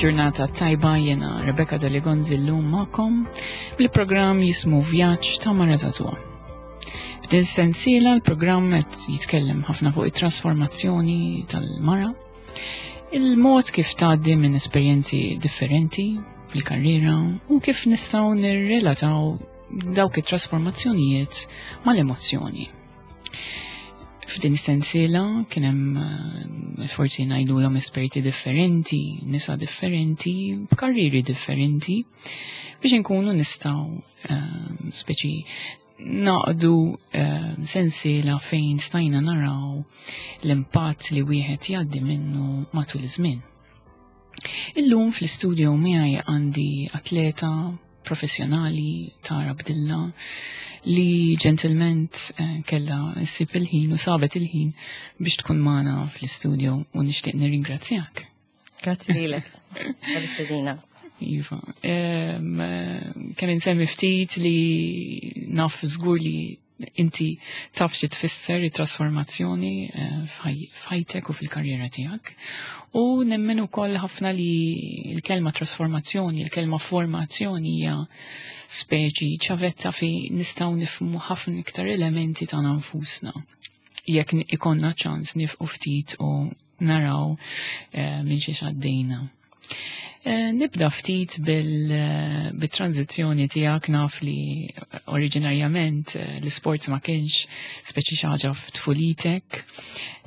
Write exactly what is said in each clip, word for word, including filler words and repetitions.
Il-ġurnata tajba, jiena Rebecca Deligonzi llum magħkom bil-programm jismu Vjaġġ ta' Mara Żagħżugħa. F'din sensiela l-programm qed jitkellem ħafna fuq it-trasformazzjoni tal-mara, il-mod kif tgħaddi minn esperjenzi differenti fil-karriera u kif nistgħu nirrelataw dawk it-trasformazzjonijiet mal-emozzjoni. F'din is-sensiela kien hemm eh, sforzi ngħidulhom esperti differenti, nisa differenti, b'karriri differenti, biex inkunu nistgħu eh, speċi naqdu eh, sensiela fejn stajna naraw l-impatt li wieħed jgħaddi minnu matul iż-żmien. Illum fl-istudio miegħi għandi atleta professjonali, Tara Bdilla, li ġentilment eh, kella ssib il-ħin u sabet il-ħin biex tkun magħna fl-istudio u nixtieq nirringrazzjak. Grazzi lilek. Tal-istedina. Iva. Em, eh, Kemm insemmi ftit li naf żgur li inti taf xi tfisser it-trasformazzjoni eh, f'ħajtek u fil-karriera tiegħek. U nemmen ukoll ħafna li l-kelma trasformazzjoni, il-kelma formazzjoni hija speċi ċavetta fi nistgħu nifhmu ħafna iktar elementi ta' nfusna. Jekk ikollna ċans nieqfu ftit u naraw eh, minn xiex għaddejna. Eh, Nibda ftit bil-tranzizjoni tiegħek. Naf li oriġinarjament eh, l-sports ma kienx speċi xi ħaġa f'tfulitek,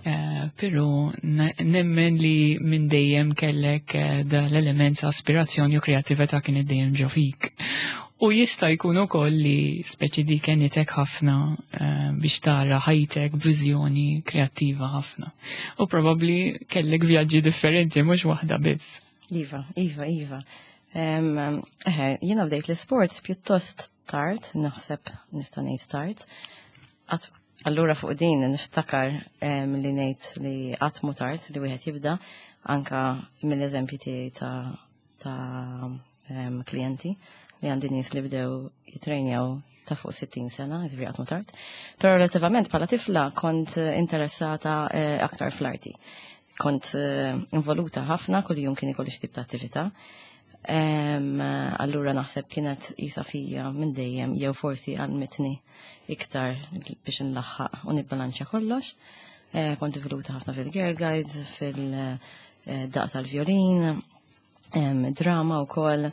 eh, però nemmen li minn dejjem kellek da l-element ta' aspirazzjoni u kreatività kien dejjem ġo fik. U jista' jkun ukoll li speċi di għenitek ħafna biex tara ħajtek b'viżjoni kreattiva ħafna. U probabbli kellek vjaġġi differenti, mhux waħda biss. Iva, Iva, Iva. Eħe, jiena bdejt l-sports pjuttost tard, naħseb nista' ngħid tard. Allura fuq din niftakar li ngħid li qatt mhu tard li wieħed jibda, anka mill-eżempji tiegħi ta' ta' klijenti li għandi, nies li bdew jitrejnjaw ta' fuq sittin sena, jiġifieri qatt mhu tard. Però relativament bħala tifla kont interessata eh, aktar fl-arti. Kont eh, involuta ħafna, kull jum kien ikolli xi tip ta' attività. Allura naħseb kienet isa fija minn dejjem jew forsi għallmitni iktar biex nlaħħaq u nibbalanċja kollox. Eh, kont involuta ħafna fil-Girl Guides, fil-daqq tal-violin, drama u koll.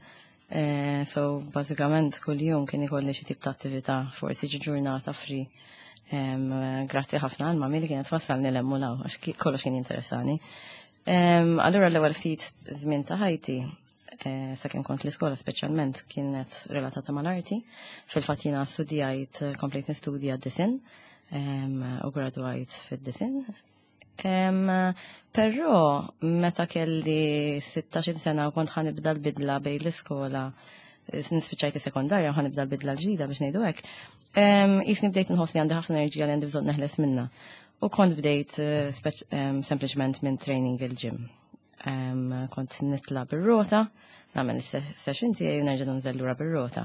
Eh, so, bażikament kull jum kien ikolli xi tip ta' attività, forsi ġi ġurnata free. Grazzi ħafna għal mami li kienet twassalni 'l hemm u 'l hawn, għax kollox kien interessani. Allura l-ewwel ftit żmien ta' ħajti, eh, sakemm kont l-iskola speċjalment, kienet relatata mal-arti. Fil-fatt jiena studjajt, komplejt nistudja d-disinn u gradwajt fid-disinn. Però meta kelli sittax-il sena u kont ħa nibda l-bidla bejn l-iskola, nispiċajt sekondarja u ħa nibda l-bidla l-ġdida, biex ngħidu hekk, jisni bdejt nħossni għandi ħafna enerġija li għandi bżonn neħles minna. U kont bdejt eh, sempliċement minn training il-gym. Kont nitla bir-rota, nagħmel is-session tiegħi u nerġa' nżel lura bir-rota.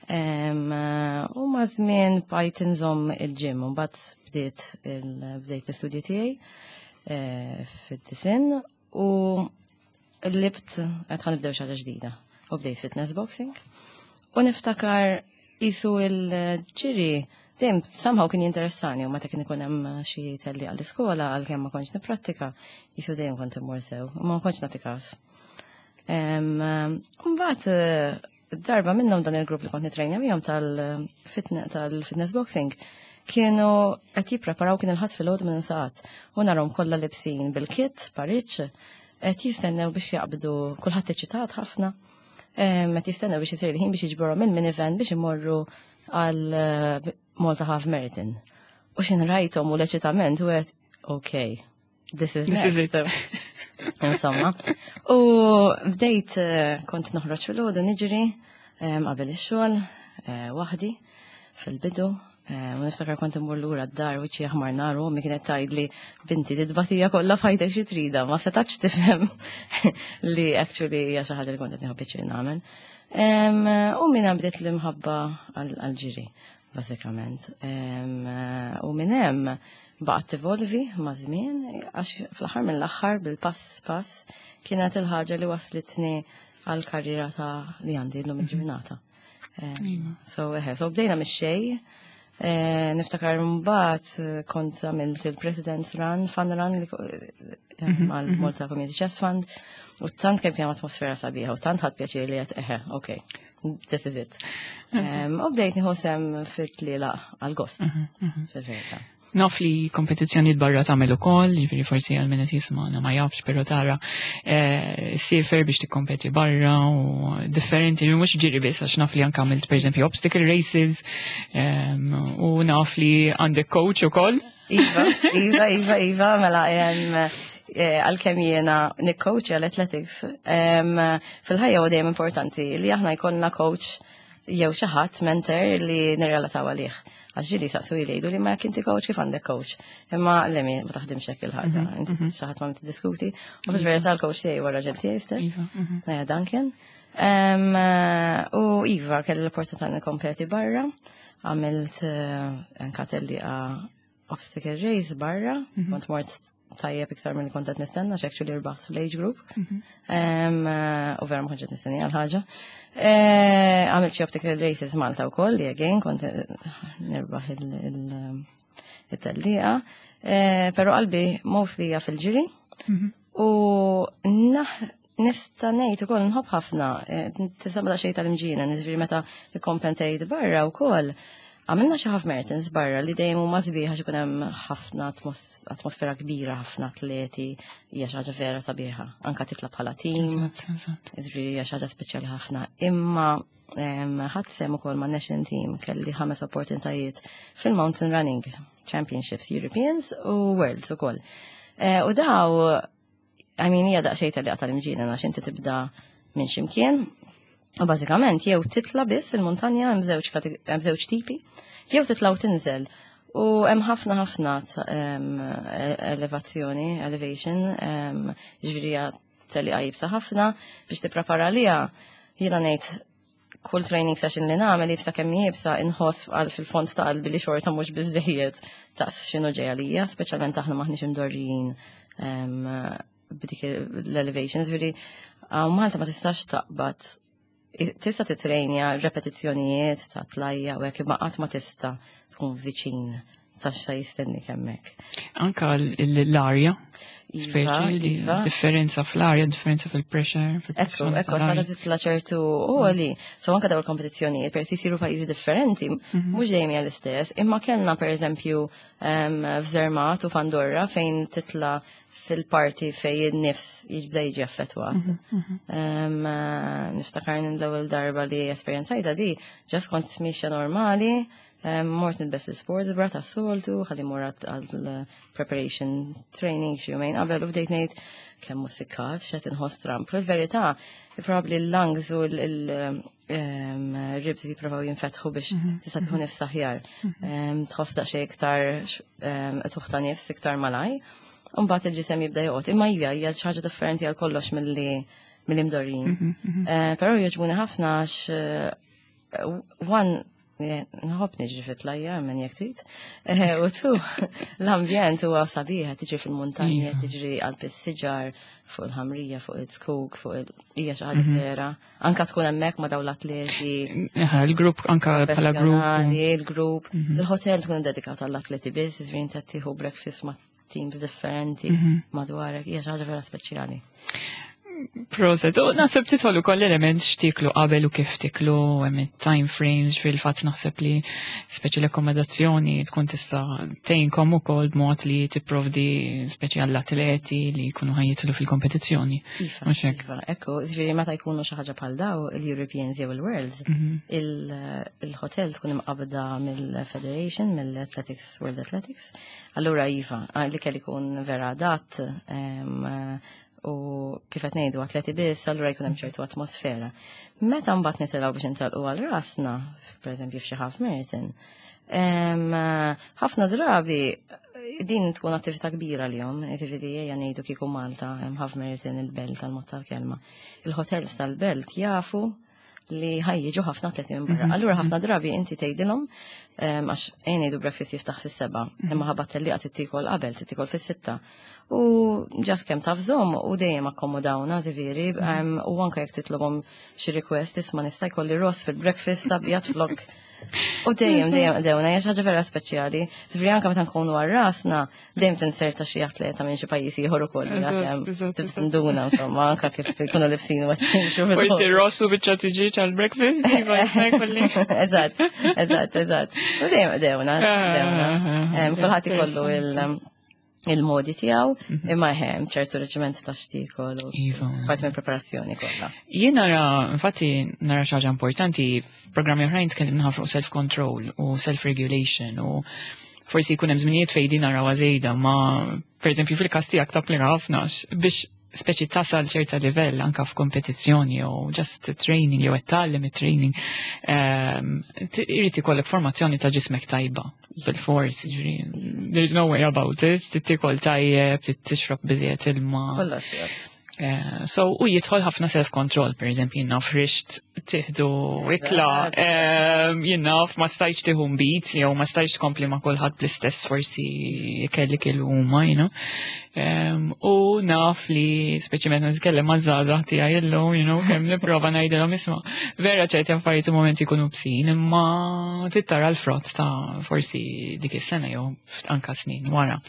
U ma' żmien bqajt inżomm il-gym u mbagħad bdiet bdejt l-istudji tiegħi eh, fid-disinn u libt qed ħa nibdew xi ħaġa ġdida. U bdejt fitness boxing. U niftakar isu il-ġiri dejjem somehow kien jinteressani u meta kien ikun hemm xi telli għall-iskola, għalkemm ma kontx nipprattika, jisu dejjem kont immur sew, u ma kontx nagħti każ. Mbagħad eh, darba minnhom dan il-grupp li kont nitrejna miegħhom tal-fitness boxing kienu qed jippreparaw, kien il-Ħadd filgħodu minn saqat, u narhom kollha libsin bil-kit, pariċ, qed jistennew biex jaqbdu, kulħadd eċitat ħafna. Qed jistennew biex isir il-ħin biex jiġborhom il-minivan biex imorru għal eh, Malta Half Marathon. U x'ħin rajthom u l-eċitament u għedt, "Okay, this is This is next." it. Insomma. U bdejt eh, kont noħroġ filgħodu niġri qabel ix-xogħol eh, waħdi fil-bidu. U niftakar kont immur lura d-dar wiċċi aħmar nar u kienet tgħidli, "Binti, dit-tbatija kollha f'ħajtek xi trida?" Ma setax tifhem li actually hija xi ħaġa li kont qed nieħu pjaċir nagħmel. U minn hemm bdiet l-imħabba għall-ġiri, bażikament. U minn hemm Baqgħet tevolvi ma' żmien, għax fl-aħħar mill-aħħar bil-pass pass kienet il-ħaġa li waslitni għal-karriera ta' li għandi llum il-ġurnata. So, eħe, so bdejna mix-xejn. Eh, niftakar mbagħad eh, kont għamilt il-President's Run, Fun Run li eh, mal Malta Community Chest Fund u tant kemm kien atmosfera sabiħa u tant ħadt pjaċir li għedt eħe, ok, this is it. Em, U bdejt nieħu sehem fit-tlielaq għal-gost, fil-verità. Naf li kompetizzjoni barra tagħmel ukoll, jiġifieri forsi għal min qed jismagħna ma jafx, però tara eh, siefer biex tikkompeti barra u differenti, mhux ġiri biss, għax naf li anke għamilt pereżempju obstacle races em, u naf li għandek coach ukoll. Iva, Iva, Iva, Iva, mela em, eh, għalkemm jiena nikcoach għal-athletics, em, fil-ħajja u dejjem importanti li aħna jkollna coach jew xi ħadd mentor li nirrelataw għalih. Għax ġieli saqsu jgħidu li ma jekk inti coach, kif għandek coach? Imma lemi ma taħdimx hekk il-ħaġa, inti xi ħadd ma tiddiskuti. U fil-verità l-coach tiegħi huwa raġel tiegħi stess. Iva, mhm. Naja Duncan. Em, eh, U Iva, kelli l-opportunità nikkompeti barra, għamilt eh, anka tellieqa obstacle race barra, kont mort tajjeb iktar minn kont qed nistenna, għax actually rbaħt l-age group. Em, eh, U vera ma kontx qed nistenni għal ħaġa. Eh, Għamilt xi obstacle races Malta wkoll li again kont eh, nirbaħ il-tellieqa. Però qalbi mostly hija fil-ġiri. U naħ nista' ngħid ukoll nħobb ħafna, eh, tisema daqsxejn tal-imġienen, jiġifieri meta ikkompetejt barra wkoll. Għamilna xi half marathons barra li dejjem huma sbieħ għax ikun hemm ħafna atmos- atmosfera kbira, ħafna atleti, hija xi ħaġa vera sabiħa. Anka titla' bħala team, Eżatt, eżatt. jiġifieri hija xi ħaġa speċjali ħafna. Imma em, ħadt sehem ukoll ma' national team, kelli ħames opportunitajiet fil-Mountain Running Championships Europeans u Worlds ukoll. Eh, U daw, I mean, hija daqsxejn tal tal-imġienen għax inti tibda minn ximkien. U bażikament jew titla biss il-muntanja, hemm żewġ kate- hemm żewġ tipi, jew titla u tinżel. U hemm ħafna ħafna ta- em, e- elevazzjoni, elevation, em, ġifieri hija tellieqa iebsa ħafna biex tipprepara liha. Jiena ngħid kull training session li nagħmel, iebsa kemm iebsa, inħoss għal fil-fond ta' qalbi li xorta mhux biżejjed ta' x'inhu ġej għalija, speċjalment aħna maħniex imdorrijin em, b'dik l-elevation. Ġifieri hawn Malta ma tistax taqbad, tista' titrejnja repetizzjonijiet ta' tlajja u hekk, imma qatt ma tista' tkun viċin ta' x'sa jistennik hemmhekk. Anka l- l-arja, Iva, speċi li iva. differenza fl-arja, differenza fil-pressure, Ekku, fil-pressjoni ekku, tal-arja. għala titla ċertu għoli. So anka daw il-kompetizzjonijiet, per jisiru pajjiżi differenti, mhux dejjem hija l-istess, imma kellna per eżempju em, f'Zermatt u f'Andorra fejn titla fil-parti fej il-nifs jibda jiġi affettwat. Em, eh, Niftakar l-ewwel darba li esperjenzajta di, just kont mixja normali, em, mort nilbes l-sports bra ta' soltu, ħalli mort għal preparation training xi jumejn qabel u bdejt ngħid kemm musikkat, x'qed inħoss stramb. Fil-verità, probably l-lungs u l-ribs jipprovaw jinfetħu biex tista' tkun nifs aħjar. Em, Tħoss daqsxejn iktar em, tuħta nifs iktar malaj. Mbagħad il-ġisem jibda joqgħod. Imma hija hija xi ħaġa differenti għal kollox milli mill-imdorrin. Eh, Però jogħġbuni ħafna għax eh, one, nħobb niġri fit-tlajja minn jekk trid. Eh, U two, l-ambjent huwa sabiħ, tiġri fil-muntanja, tiġri qalb is-siġar, fuq il-ħamrija, fuq il-zkuk, fuq il hija xi ħaġa vera. Anka tkun hemmhekk ma' dawn l-atleti Eħe, il-grupp anka bħala grupp. professjonali, il-grupp, il-hotel tkun dedikat għall-atleti biss, jiġifieri inti tieħu breakfast ma' teams differenti madwarek, hija xi ħaġa vera speċjali. Proset, u naħseb tidħol ukoll element x'tiklu qabel u kif tiklu, hemm time frames, fil-fatt naħseb li speċi l-akkomodazzjoni tkun tista' tgħinkom ukoll b'mod li tipprovdi speċi għall-atleti li jkunu ħa jitilgħu fil-kompetizzjoni. Iva, Mhux hekk? iva, ekku, ġifieri meta jkunu xi ħaġa bħal daw, il-Europeans jew il-Worlds, il- il-hotel tkun imqabda mill-Federation, mill-Athletics, World Athletics. Allura iva, li kelli jkun vera adatt, em, u kif qed ngħidu atleti biss, allura jkun hemm ċertu atmosfera. Meta mbagħad nitilgħu biex intelqu għal rasna, pereżempju f'xi half marathon, em, ħafna drabi din tkun attività kbira l-jom, jiġifieri ejja ngħidu kieku Malta, hemm half marathon il-Belt tal-mod tal-kelma. Il-hotels tal-Belt jafu li ħa jiġu ħafna atleti minn barra. Allura ħafna drabi inti tgħidilhom Għax ejja ngħidu breakfast jiftaħ fis-sebgħa, imma ħabba tellieqa trid tiekol qabel, trid tiekol fis-sitta. U just kemm taf żomm u dejjem akkomodawna ġifieri, u anke jekk titlobhom xi request, "Isma', nista' jkolli ross fil-breakfast abjad flok?" U dejjem, dejjem, dejjem, hija xi ħaġa vera speċjali. Ġifieri anke meta nkunu għal rasna, dejjem tinserta xi atleta minn xi pajjiż ieħor ukoll. Tinduna, insomma, anke kif ikunu libsin u qed jimxu. Forsi ross u biċċa tiġieġ għal-breakfast, iva, jista' jkolli. Eżatt, eżatt, eżatt. U dejjem dewna, dewna. Kulħadd ikollu il- il-modi tiegħu, imma hemm ċertu reġiment ta' x'tiekol u Iva. parti minn preparazzjoni kollha. Jien nara, infatti, nara xi ħaġa importanti, f'programmi oħrajn tkellimna ħafna fuq self-control u self-regulation u forsi jkun hemm żminijiet fejn din narawha żejda, ma per eżempju fil-każ tiegħek tapplika ħafna biex speċi tasal ċerta livell anka f'kompetizzjoni jew just training jew qed tgħallem it-training, ehm, t- irid ikollek formazzjoni ta' ġismek tajba bil-fors, ġifieri, there's no way about it, trid tiekol tajjeb, trid tixrob biżejjed ilma. Kollox jgħod. Eh, so, u jidħol ħafna self-control, per eżempju, jien naf rixt tieħdu ikla, eh, jien naf ma stajtx tieħu nbid, jew ma stajtx tkompli ma kulħadd bl-istess forsi kelli kielu huma, you know. Um, u naf li, speċi meta nitkellem ma' żgħażagħ tiegħi illum, you know, kemm nipprova ngħidilhom, "Isma', vera ċerti affarijiet u momenti jkunu bsin, imma tittara l-frott ta' forsi dik is-sena jew anka snin wara."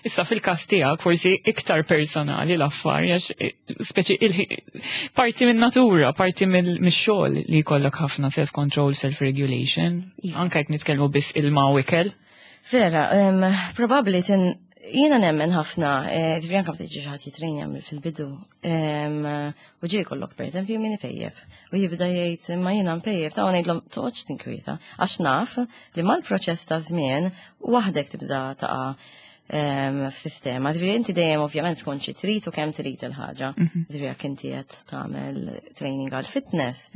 Issa fil-każ tiegħek forsi iktar personali l-affari għax eh, speċi il- parti minn natura, parti mill-xogħol li jkollok ħafna self-control, self-regulation, Iva. anka jekk nitkellmu biss ilma u ikel. Vera, um, probabli tin jiena nemmen ħafna, eh, ġifieri anke meta jiġi xi ħadd jitrejnja fil-bidu, em, u ġieli kollok per eżempju min ipejjeb, u jibda jgħid, "Imma jiena mpejjeb," ta' ngħidlhom, "Toqgħodx tinkwieta, għax naf li mal-proċess ta' żmien waħdek tibda taqa' em, f'sistema." Ġifieri inti dejjem ovvjament tkun xi trid u kemm trid il-ħaġa. Ġifieri jekk inti qed tagħmel training għal fitness,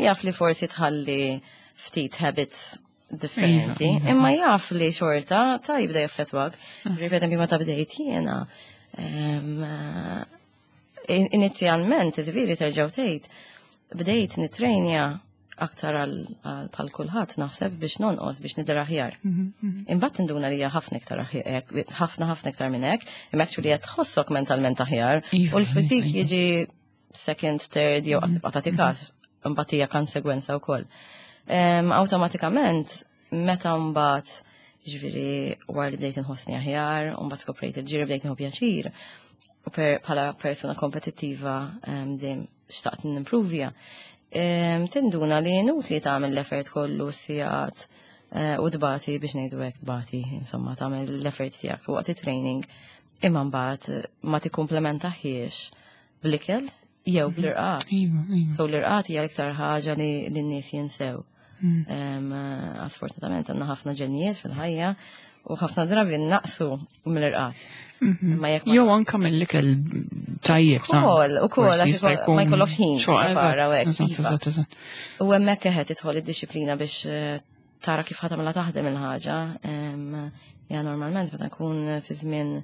jaf li forsi tħalli ftit habits differenti, Iva, iva. imma jaf li xorta ta' jibda jaffetwak. Ġifieri, per eżempju, meta bdejt jiena, em, in- inizjalment, ġifieri terġgħu tgħid, bdejt nitrejnja aktar għal għal bħal kulħadd naħseb biex nonqos, biex nidher aħjar. Imbagħad tinduna li hija ħafna iktar aħjar, ħafna ħafna iktar minn hekk, imma actually qed tħossok mentalment aħjar Iva, u l-physique iva, iva. jiġi second, third, jew tibqa' tagħti każ, imbagħad hija konsegwenza wkoll. Em, Awtomatikament, meta mbagħad ġifieri wara li bdejt inħossni aħjar, u mbagħad skoprejt il-ġiri, bdejt nieħu pjaċir, u per, bħala persuna kompetittiva em, dejjem xtaqt nimprovja. Em, Tinduna li inutli tagħmel l-effort kollu sigħat eh, u dbati biex ngħidu hekk dbati, insomma, tagħmel l-effort tiegħek waqt it-training, imma mbagħad ma tikkumplementaħiex bl-ikel jew bl-irqad. Iva, iva. So l-irqad hija l-iktar ħaġa li l-nies jinsew. Mm. Em, eh, Sfortunatament għandna ħafna ġennijiet fil-ħajja u ħafna drabi naqsu mill-irqad. Imma jekk ma Jew anka mill-ikel tajjeb ta' Ukoll, ukoll, forsi għax jista' ikoll- ma jkun jkollokx ħin xogħol, prepara u hekk, eżatt, iva. eżatt, eżatt. U hemmhekk eħed tidħol id-disciplina biex eh, tara kif ħa tagħmilha taħdem il-ħaġa. Em, Ja normalment meta nkun fi żmien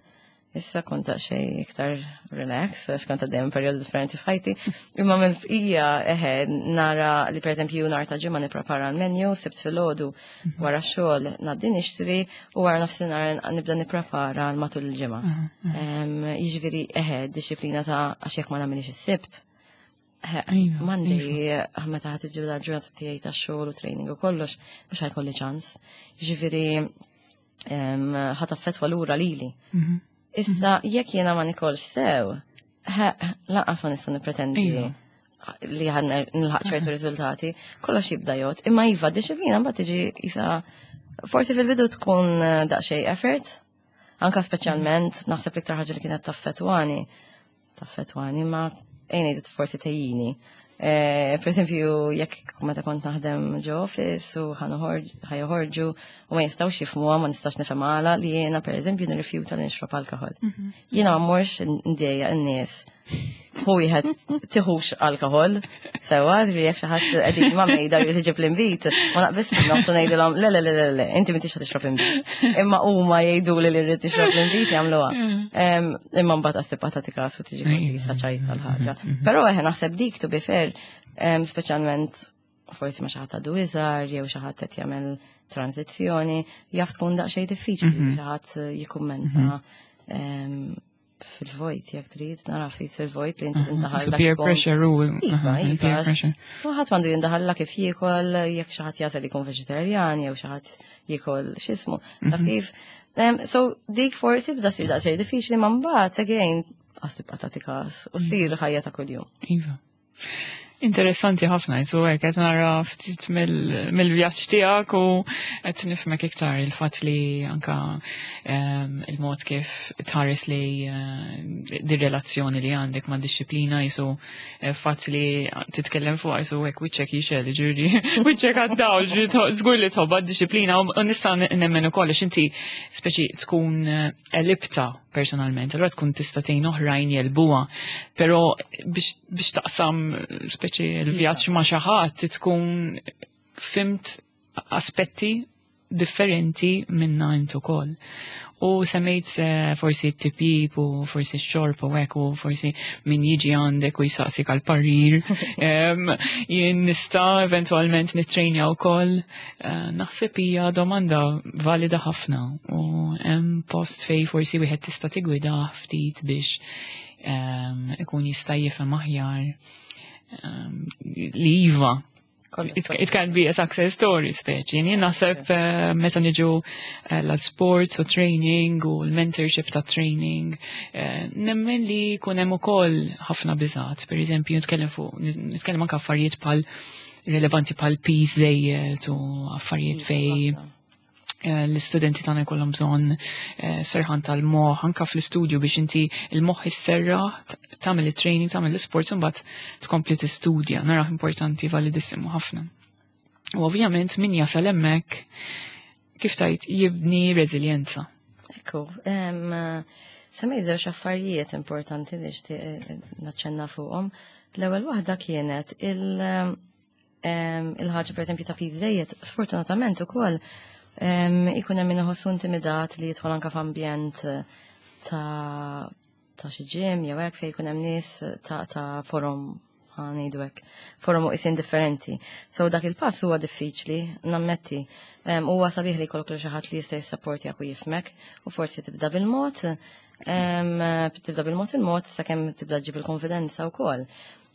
issa kont daqsxejn iktar relax, għax kont għaddejjem perjodu differenti f'ħajti. Imma mill bqija eħe nara li per eżempju nhar ta' Ġimgħa nipprepara l-menu, Sibt filgħodu wara x-xogħol ngħaddi nixtri u wara nofsinhar nibda nipprepara matul il-ġimgħa. Em, Jiġifieri eħe disciplina ta' għax jekk ma nagħmilx is-Sibt. Iva, Monday, meta ħa tiġi ġurnata tiegħi ta' xogħol u training u kollox, mhux ħa jkolli ċans. Jiġifieri em, ħa taffettwa lura lili. Mhm. Issa, jekk jiena ma nikolx sew, lanqas ma nista' nippretendi Iva. li ħa nilħaq ċertu riżultati, kollox jibda jgħod. Imma iva, disciplina mbagħad tiġi isa forsi fil-bidu tkun eh, daqsxejn effort, anka speċjalment naħseb l-iktar ħaġa li kienet taffetwani, taffetwani ma ejja ngħidu forsi tejjini. Eh, per eżempju, jekk meta kont naħdem ġo office u ħa joħorġu u ma jistgħux jifhmuha, ma nistax nifhem għala li jiena per eżempju nirrifjuta li nixrob alkohol. Jiena ma mmorx ndejjaq in-nies. Hu wieħed tiħux alkohol, sewa, ġifieri jekk xi ħadd qegħdin ma' mejda jrid iġib l-inbid, ma naqbis nofsu ngħidilhom, "Le, le, le, le, le, inti m'intix ħa tixrob inbid." Imma huma jgħidu li li rrid tixrob l-inbid jagħmluha. Em, Imma mbagħad għas tibqa' tagħti każ u tiġi kważi ċajta l-ħaġa. Però eħe naħseb dik, to be fair, em, speċjalment forsi ma xi ħadd għadu iżgħar jew xi ħadd qed jagħmel tranzizzjoni, jaf tkun daqsxejn diffiċli Mhm. xi ħadd jikkummenta em, fil-vojt, jekk trid, nara ftit fil-vojt li inti tindaħal So peer pressure u Iva, aha, iva. peer pressure. U ħadd m'għandu jindaħalla kif jiekol, jekk xi ħadd jagħżel jkun veġitarjan jew xi ħadd jiekol x'ismu. Taf kif? Em, So dik forsi bda ssir daqsxejn diffiċli ma mbagħad again għas tibqa' tagħti każ u ssir ħajja ta' kuljum. Iva. Interessanti ħafna, jisu hekk qed nara ftit mill- mill-vjaġġ tiegħek u qed nifhmek iktar il-fatt li anka em, il-mod kif tħares li eh, di relazzjoni li għandek ma' dixxiplina jisu eh, fatt li titkellem fuq jisu hekk wiċċek jixgħel, ġifieri wiċċek għaddaw, ġifieri to- żgur li tħobbha d-dixxiplina u u nista' nemmen ukoll għax inti speċi tkun eh, għelibtha personalment, allura tkun tista' tgħin oħrajn jegħlbuha, però biex biex taqsam speċi l-vjaġġ ma' xi ħadd tkun fhimt aspetti differenti minna int ukoll. U semmejt eh, forsi t-tipjip u forsi x-xorb u hekk u forsi min jiġi għandek u jisaqsik għal parir. Em, Jien nista' eventualment nittrejnja wkoll. Eh, Naħseb hija domanda valida ħafna u hemm post fej forsi wieħed tista' tigwida ftit biex em, ikun jista' jifhem aħjar em, li iva Kollox it, it can be a success story speċi. Jien naħseb eh, meta niġu eh, l-sports u training u l-mentorship ta' training, eh, nemmen li kun hemm ukoll ħafna biżat. Per eżempju, nitkellem fuq nitkellem anke affarijiet bħal rilevanti bħal piż żejjed u affarijiet fej eh, l-istudenti tagħna jkollhom bżonn eh, serħan tal-moħħ anka fl-istudju biex inti il-moħħ isserraħ tagħmel it-training, tagħmel l-sports u mbagħad tkompli tistudja. Narah importanti validissimu ħafna. U ovvjament min jasal hemmhekk kif tajt jibni reżiljenza. Ekku, em, semmejt żewġ affarijiet importanti li xtaqt eh, naċċenna fuqhom. L-ewwel waħda kienet il- em, il-ħaġa per eżempju ta' piż żejjed, sfortunatament ukoll em, ikun hemm min iħossu intimidat li jidħol anke f'ambjent eh, ta' ta' xi gym jew hekk fejn jkun hemm nies ta' ta' forom ħa ngħidu hekk, forom u isin differenti. So dak il-pass huwa diffiċli, nammetti. Em, Huwa sabiħ li jkollok lil xi ħadd li jista' jissapportjak u jifhmek u forsi tibda bil-mod, em, tibda bil-mod il-mod sakemm tibda ġib il-konfidenza wkoll.